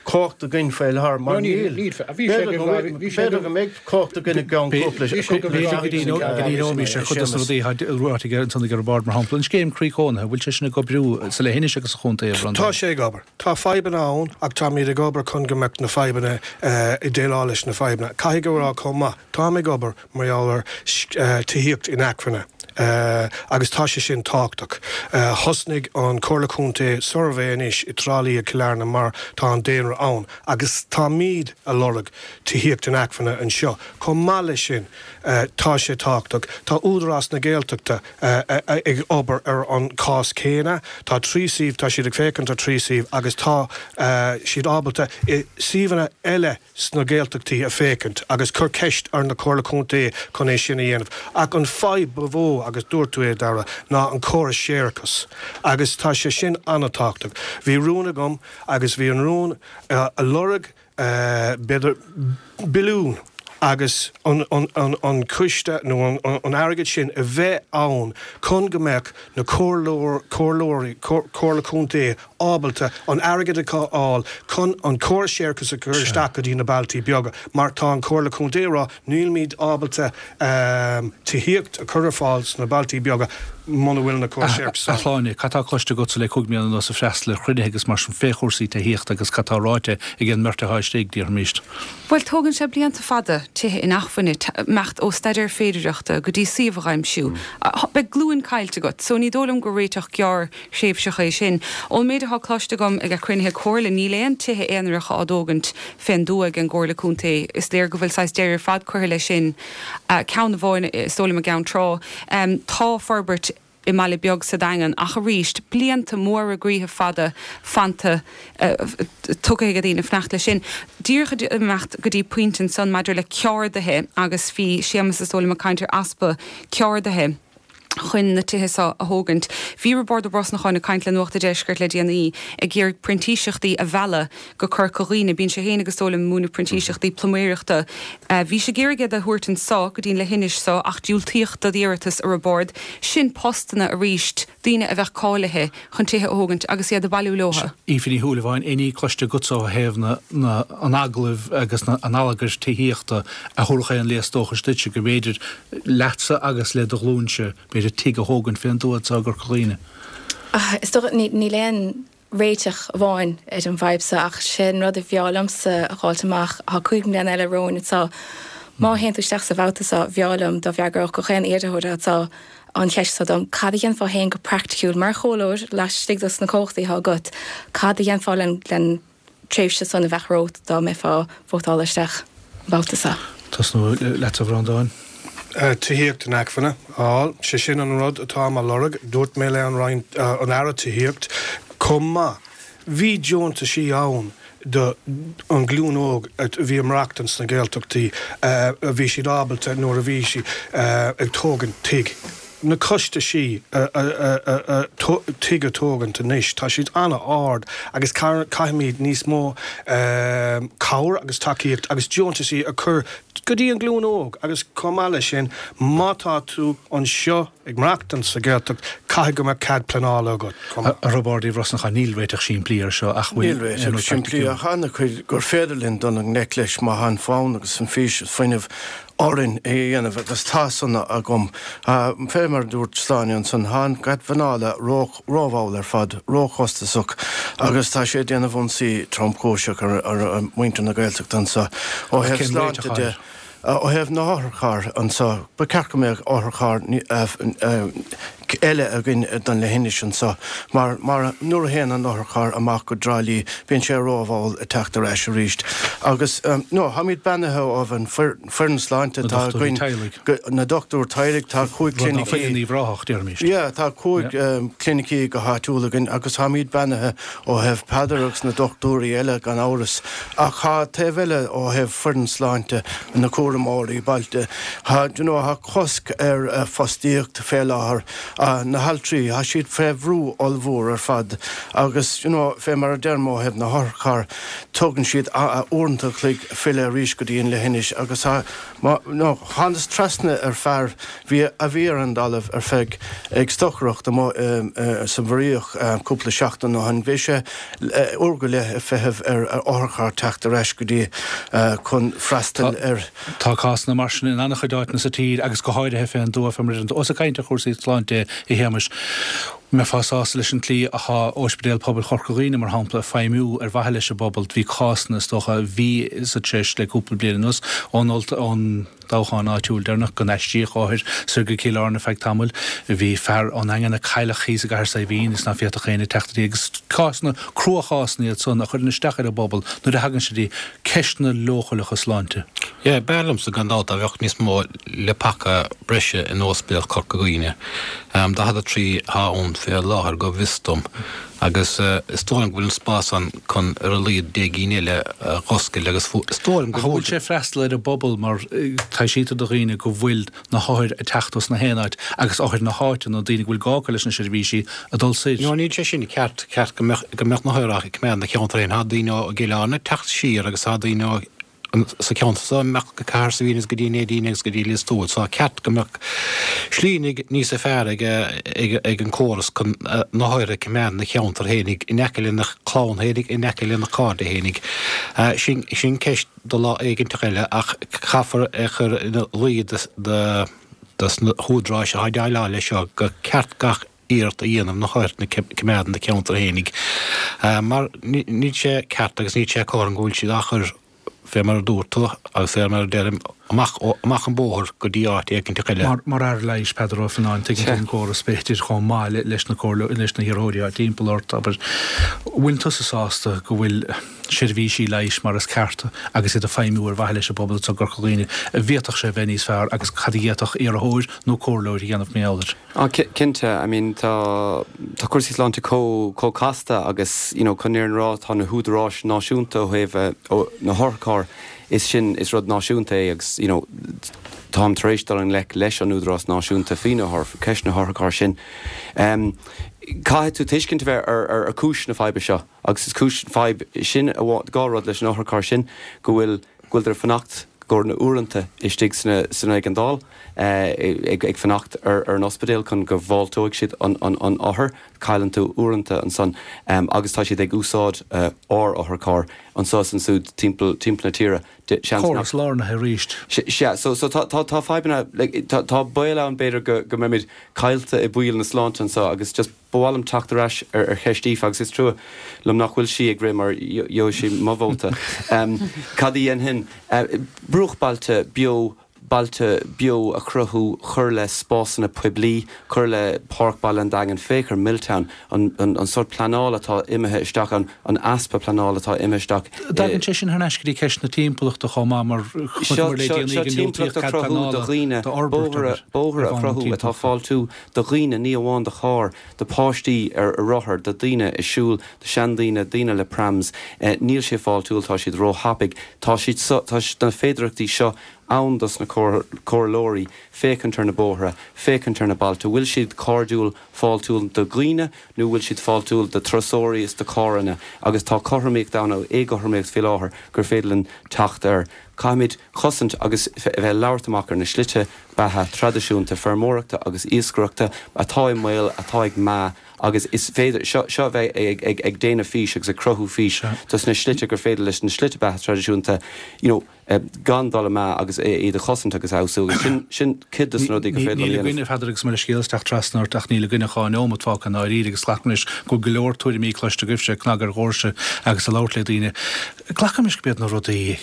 cumhacht againn faoi láthair mar níl. B'fhéidir go mbeidh cumhacht againn i gceann cúpla seachtain. Go ndíreoimis ar chuid de na rudaí atá ráite aige ansan ag Roibeárd, mar shampla, an scéim croí cónaithe, an bhfuil sé sin ag oibriú sa leithinis agus sa chontae, a Bhreandáin? Tá sé ag obair. Tá fadhbanna ann ach táimid ag obair chun go mbeadh na fadhbanna, ag déileáil leis na fadhbanna. Caithfidh a rá chomh maith, táim ag obair mar gheall ar tithíocht inacmhainne agus tá sé sin tábhachtach. Thosnaigh an Comhairle Contae suirbhé anois i dTrá Lí ag Cill Airne mar tá an daonra ann agus táimid a lorg tithíocht inacmhainne anseo. Chomh maith leis sin tá sé tábhachtach, tá Údarás na Gaeltachta ag obair ar an chás céanna. Tá trí suíomh, tá siad ag féachaint ar trí suíomh agus tá siad ábalta i suíomhanna eile sna Gaeltachtaí a féachaint agus cur ceist ar na Comhairle Contae chun é sin a dhéanamh. Ach an fadhb ba mhó, agus dúirt tú é, Dara, ná an córas séarachais agus tá sé sin an-tábhachtach. Bhí rún agam agus bhí an rún a lorg b'fhéidir billiún agus an coiste nó an airgead sin a bheith ann chun go mbeadh na comhairleoirí, Comhairle Contae ábalta an airgead a fháil chun an córas séarachais a chur isteach go dtí na bailtí beaga mar tá an Comhairle Contae ag rá nílimid ábalta tithíocht a chur ar fáil sna bailtí beaga muna bhfuil na córais séarachais ann. A Shláine, cad tá cloiste agatsa le 5 mbliana anuas ag freastal ar chruinnithe agus mar sin fé chúrsaí tithíochta agus cad tá ráite ag an mbeirt atá istigh, déarfaimis? Bhuel, tógann sé blianta fada tithe inacmhainne, imeacht ó staidéar féidireachta go dtí suíomh a dh'aimsiú. Beidh glúin caillte agat, so ní dóigh liom gur réiteach gearr-thréimhseach é sin. Ón méid atá cloiste agam ag cruinnithe comhairle, níl aon tithe aonaracha á dtógaint fén dtuath ag an gComhairle Contae. Is léir go bhfuil saghas deireadh ar fad curtha leis sin. Ceann amháin, is dóigh liom, i gCeann Trá. Tá forbairt. i mbaile beag sa Daingean ach arís, blianta móra groíthe fada fanta tugtha ag daoine fanacht leis sin. Díreach ag imeacht go dtí pointe ansan maidir le ceardaithe agus bhí Séamus is dóigh liom ag caint ar easpa ceardaithe chun na tithe seo a thógaint. Bhí Roibeárd Ó Brosnacháin ag caint le Nuacht a' Deiscirt le déanaí ag iarraidh printíseachtaí a mhealladh go Corca Dhuibhne. Bíonn sé féin agus is dóigh liom ag múineadh printíseachtaí pluiméireachta. Bhí sé ag iarraidh iad a thabhairt anso go dtí'n leithinis so ach diúltaíodh dá iarratas a Roibeárd. Sin postanna arís, daoine a bheadh cáilithe chun tithe a thógaint agus iad a bhailiú leotha. Aoife Ní Shúilleabháin, aon ní cloiste agatsa ó thaobh na, na, an agallaimh agus na, an allagair tithíochta a thabharfadh aon léas dóchais duitse go mb'fhéidir leatsa agus le do ghlúinse b'fhéidir tigh a thógaint fén dtuath anso i gCorca Dhuibhne? Is dócha, níl aon réiteach amháin ar an bhfadhb seo ach sé an rud a bhfearr liomsa a dh'fháilt amach, thá 5 mbliana eile romhainn anseo. Má théann tú isteach sa bhabhta seo, bhfearr liom dá bhfreagródh gach aon iarrthóir anseo. an cheist seo dom, cad a dhéanfá féin go praiticiúil mar chomhairleoir laistigh dos na cumhachtaí atá agat, cad a dhéanfá len len tréimhse san a bheadh romhat dá mbeifeá vótáilte isteach an babhta seo? Tosnú leatsa a Bhreandáin. Tithíocht inacmhainne a fháil, sé sin an rud atáim á lorg. Dúirt mé le an Roinn, an Aire Tithíocht chomh maith. Bhí deontaisí ann do an ghlúin óg a bhí ag maireachtaint sna Gaeltachtaí, a bhí siad ábalta nuair a bhí siad ag tógaint tigh. Na costaisí tigh a tógaint anois, tá siad an-ard agus caithfimid níos mó cabhair agus tacaíocht agus deontaisí a chur go dtí an ghlúin óg agus chomh maith leis sin, má tá tú anseo, Ag maireachtaint sa Ghaeltacht, caithfidh go mbeadh cead pleanála agat chomh maith. A Roibeaird Uí Bhrosnacháin, níl réiteach simplí air seo ach bhfuil Níl réiteach simplí ach an-chuid gur féidir linn dul i ngleic leis má tá an fonn agus an fhís is fuinneamh orainn é a dhéanamh agus tá san agam. Fé mar a dúirt Sláine ansan, tá an cead pleanála rómhall ar fad, róchostasach agus tá sé ag déanamh ionsaí tromchúiseach ar mhuintir na Gaeltachta anso ó thaobh sláinte de. Ó thaobh na hotharcharr anso, ba cheart go mbeadh otharcharr eile againn don leithinis anso mar mar nuair a théann an otharcharr amach go dTrá Lí bíonn sé rómhall ag teacht ar ais arís. Agus no, táimid beannaithe ó thaobh an foireann sláinte atá againn, na dochtúir teaghlaigh, tá 5 clinicí, yeah, tá 5 clinicí go háitiúil againn agus táimid beannaithe ó thaobh Peadar agus na dochtúirí eile gan amhras. Ach tá taobh eile ó thaobh foireann sláinte, na cúramóirí bailte, tá, you know, tá cosc ar fostaíocht fé láthair, na haltraí, tá siad fé bhrú ollmhór ar fad agus, you know, fé mar a deirim ó thaobh na hotharcharr, tógann siad uaireanta a chloig filleadh arís go dtí an leithinis agus tá, no, thánas trasna ar fear, bhí, a bhí ar an dtalamh ar feadh, ag stocaireacht amuigh sa Mhuiríoch cúpla seachtain ó shin, bhí sé uair go leith ag feitheamh ar otharcharr teacht ar ais go dtí chun freastal ar. Tá cásanna mar sin in an-chuid áiteanna sa tír agus go háirithe fén dtuath fé mar a deireann tú. Ós ag caint ar chúrsaí sláinte a Shéamais, mbeifeá sásta leis an tslí athá Ospidéal Pobail Chorca Dhuibhne, mar shampla, ag feidhmiú ar mhaithe leis an bpobal? Bhí cásanna, is dócha, a bhí sa treis le cúpla bliain anuas ón ón. dtoghchán áitiúil deireanach go n-aistríodh othair soir go Cill Airne ar feadh tamaill. Bhí fear ón nDaingean a cailleadh thíos i gCathair Saidhbhín is ná féadfadh éinne teacht go dtí agus cásanna, cruachásanna iad san a chuireann isteach ar an bpobal nuair a thagann sé dtí ceisteanna leochaileacha sláinte. Yeah, b'fhearr liomsa gan dabht dá bheadh níos mó leapacha breise in Ospidéal Chorca Dhuibhne. 43 atá ann fé láthair go bhfios dom. Agus is dóigh liom go bhfuil an spás ann chun ar a laghad 10 gcinn eile a dh'oscailt agus is dóigh liom go Ach an bhfuil sé ag freastal ar an bpobal mar taibhsítear do dhaoine go bhfuil na hothair ag teacht os na haon áit agus othair na háite nó daoine go bhfuil gá acu leis na seirbhísí ag dul soir. No níl sé sin ceart, ceart go mbeadh go mbeadh na hothair á coimeád ina cheantar féin. Tá daoine ó gCill Airne ag teacht siar agus tá daoine ó sa cheantar so amach go Cathair Saidhbhín agus go dtí an Neidín agus go dtí Lios Tuathail. So ceart go mbeadh slí níosa fearr ag ag an córas chun na hothair a choimeád ina cheantar fhéinig, in aice lena chlann fhéinig, in aice lena chairde fhéinig. Sin sin ceist do lá éiginteach eile ach caithfear é chur ina luí dos na húdaráis atá ag déileáil leis seo gur ceart gach iarracht a dhéanamh na hothair a choimeád ina cheantar fhéinig mar níl sé ceart agus níl sé cothrom go bhfuil siad á chur fé mar a dúirt tú agus fé mar a deirim amach amach an bóthar go dtí áit éiginteach eile. Mar mar fhear leighis, Peadar Ó Fionnáin, tuigeann tú an córas b'fhéidir chomh maith leis na comhairle leis na hiarrthóirí atá timpeall ort, abair. Bhfuil tusa sásta go bhfuil seirbhísí leighis mar is ceart agus iad ag feidhmiú ar mhaithe leis an bpobal anseo i gCorca Dhuibhne? An bhféadfadh sé a bheith níos fearr agus cad a d'fhéadfadh iarrthóir nó comhairleoir a dhéanamh mar gheall air? Ah, cinnte. I mean, tá, tá cúrsaí sláinte chomh, chomh casta agus, you know, chun an fhírinne a rá, tá na húdaráis náisiúnta ó thaobh na hotharchairr, is sin, is rud náisiúnta é agus, you know, táim tar éis dul i ngleic leis an údarás náisiúnta faoi na ceist na hotharchairr sin. Caithfidh tú tuiscint a bheith ar, ar, ar cúis na faidhbe seo agus is cúis fadhb sin, dhá rud leis an otharcharr sin, go bhfuil, go bhfuiltear ag fanacht go leor na uaireanta istigh sna san éigeandáil ag ag fanacht ar ar an ospidéal chun go bhfáilteoidh siad an an an othar. Cailleann tú uaireanta ansan agus tá siad ag úsáid ár otharcharr anso is ansúd timpeall timpeall na tíre. Seans nach. Córas lárnaithe arís. Sea, so so tá tá tá fadhbanna like tá tá baol ann b'fhéidir go go mbeimid caillte i bpoill na sláinte anso agus just Ba mhaith liom teacht ar ais ar cheist Aoife agus is trua liom nach bhfuil sí ag rith mar gheobhaidh sí mo vóta. Cad a dhéanfainn? Bruachbailte beo. Bailte beo a chruthú, cur le spásanna poiblí, cur le Páirc Baile an Daingin, féach ar Milltown, an sórt pleanála atá imithe isteach ann, an easpa pleanála atá imithe isteach i. Tagann sé sin thar n-ais go dtí ceist na timpeallachta chomh maith mar chonaiceamar le déanaí go ndiúltaíodh cead pleanála d'fhorbairt ar bhonn na timpeallachta. atá fáiltiúil do dhaoine, ní amháin do chairr, do pháistí ar rothair, do daoine ag siúl, do seandaoine, daoine le prams. Níl sé fáiltiúil, tá siad róthapaidh. Tá siad, tá na féidearthachtaí seo ann dos na comhairleoirí féachaint ar na bóithre, féachaint ar na bailte, bhfuil siad cairdiúil, fáiltiúil do dhaoine nó bhfuil siad fáiltiúil do turasóirí is do carranna agus tá cothromaíocht ann nó éagothromaíocht faoi láthair gur féidir linn teacht air. Caithfimid cosaint agus a bheith ag labhairt amach ar na slite beatha traidisiúnta feirmeoireachta agus iascaireachta atá i mbaol, atá ag meath agus is féidir seo seo a bheith ag ag ag déanamh fís agus ag cruthú fís dos na slite gur féidir leis na slite beatha traidisiúnta you know gan dul amú agus iad a chosaint agus a fheabhsú agus sin, sin cuid de na rudaí gur féidir linn a dhéanamh. Níl againn, a Pheadair, agus mo leithscéal as teacht trasna ort, ach níl againn ach 12 neomat fágtha i ndáiríre agus glacaim leis go bhfuil go leor tuairimí cloiste agaibhse ag cnagadh ar dhoirse agus ag labhairt le daoine. Glacaim leis gurb iad na rudaí,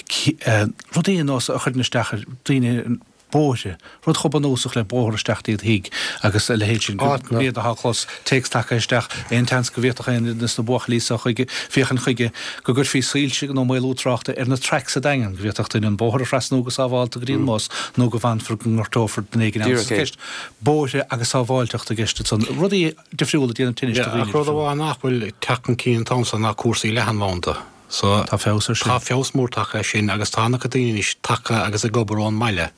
rudaí ar nós a chuireann isteach ar daoine, bóithre, rud chomh bunúsach le bóthar isteach dtí do thigh agus a leithéid sin, gurb iad atá clos téacs tagtha isteach, aon tseans go bhféadfadh aon duine de na buachaillí seo chuige, féachaint chuige go gcuirfí soilse nó maolú tráchta ar na traics sa Daingean, go bhféadfadh duine an bóthar a thrasnú go sábhálta go dtí an mbus nó go bhfanfar go ngortófar duine éigin ann. Is ceist bóithre agus sábháilteachta i gceist ansan, rudaí difriúla ag déanamh tinnis do dhaoine Ach rud amháin nach bhfuil ag teacht chun cinn an t-am seo ná cúrsaí leathanbhanda. So, Tá feabhas ar sin. Tá feabhas mór tagtha ar sin agus tá an-chuid daoine anois tagtha agus ag obair ón mbaile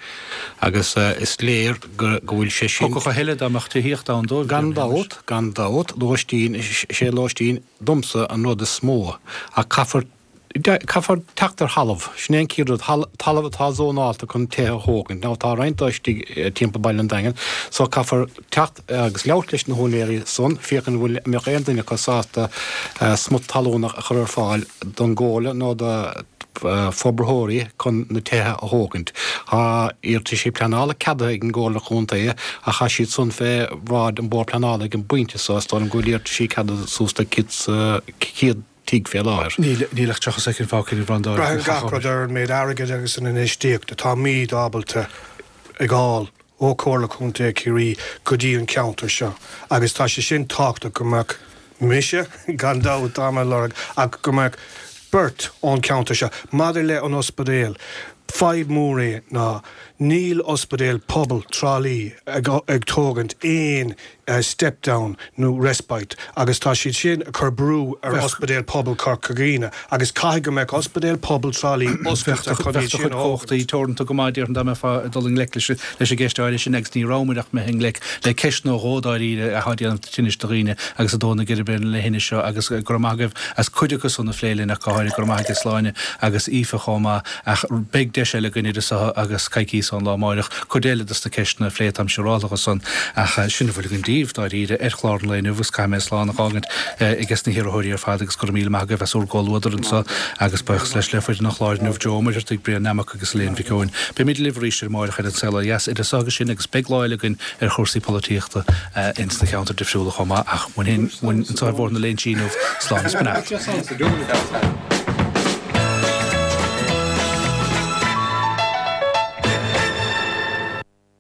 agus is léir go go bhfuil sé sin. Thiocfadh a thuilleadh dá mbeadh tithíocht ann dóibh. Gan dabht, gan dabht, lóistín, is é lóistín domsa an rud is mó ach caithfear, caithfear teacht ar thalamh, sin é an chéad rud, talamh atá zónálta chun tithe a thógaint. Now tá roinnt dó istigh timpeall Baile an Daingin so caithfear teacht agus labhairt leis na húinéirí san, féachaint an bhfuil, an mbeadh aon duine acu sásta smut talún a chur ar fáil don gComhairle nó do forbarthóirí chun na tithe a thógaint. Tá iarrataisí pleanála ceadaithe ag an gComhairle Chontae ach tá siad san fé bhráid an Bord Pleanála ag an bpointe so. Is dóigh liom go bhfuil iarrataisí ceadaithe suas le 100 tigh fé láthair. Níl ach 30 soicind fágtha ag Breandán. Braitheann gach rud ar an méid airgid agus an infheistíocht atáimid ábalta a fháil ó Chomhairle Contae Chiarraí go dtí an ceantar seo agus tá sé sin tábhachtach go mbeadh mise, gan dabht, tá mé ag lorg ach go mbeadh beirt ón cheantar seo. Maidir le an ospidéal, fadhb mór é ná níl ospidéal pobail Trá Lí ag tógaint aon step down nó respite agus tá siad sin ag cur brú ar Ospidéal Pobail Chorca Dhuibhne agus caithfidh go mbeadh Ospidéal Pobail Trá Lí oscailte chun iad sin a thógaint. Bheadh do chuid cumhachtaí teoranta go maith déarfainn dá mbeifeá ag dul i ngleic leis an gceist áirithe sin agus ní rabhamar ach imithe i ngleic le ceist nó dhó dáiríre atá ag déanamh tinnis do dhaoine agus ag dó na geirbe le thine seo agus go raibh maith agaibh as cuid acu san a phlé linn ach go háirithe go raibh maith agat Sláine agus Aoife chomh maith Ach beidh deis eile againn idir seo agus coicíos ón lá amáireach cuid eile dos na ceisteanna a phlé, táim siúráltha dhe san. Ach sin a bhfuil againn daoibh, dáiríre, ar chlár an lae inniu agus caithfidh mé slán a dh'fhágaint ages na hiarrthóirí ar fad agus go raibh míle maith agaibh as úr gcomhluadar anso agus buíochas leis le foireann an chláir inniu, Joe Ó Muircheartaigh, Brian Nammock agus Elaine Mhic Eoin. Beimid libh arís ar amáireach ar An Saol Ó Dheas idir seo agus sin agus beidh lá eile againn ar chúrsaí polaitíochta ins na ceantair difriúla chomh maith ach uainn féin, uainn anso ar Bhóthar na Léinsí inniu, slán is beannacht.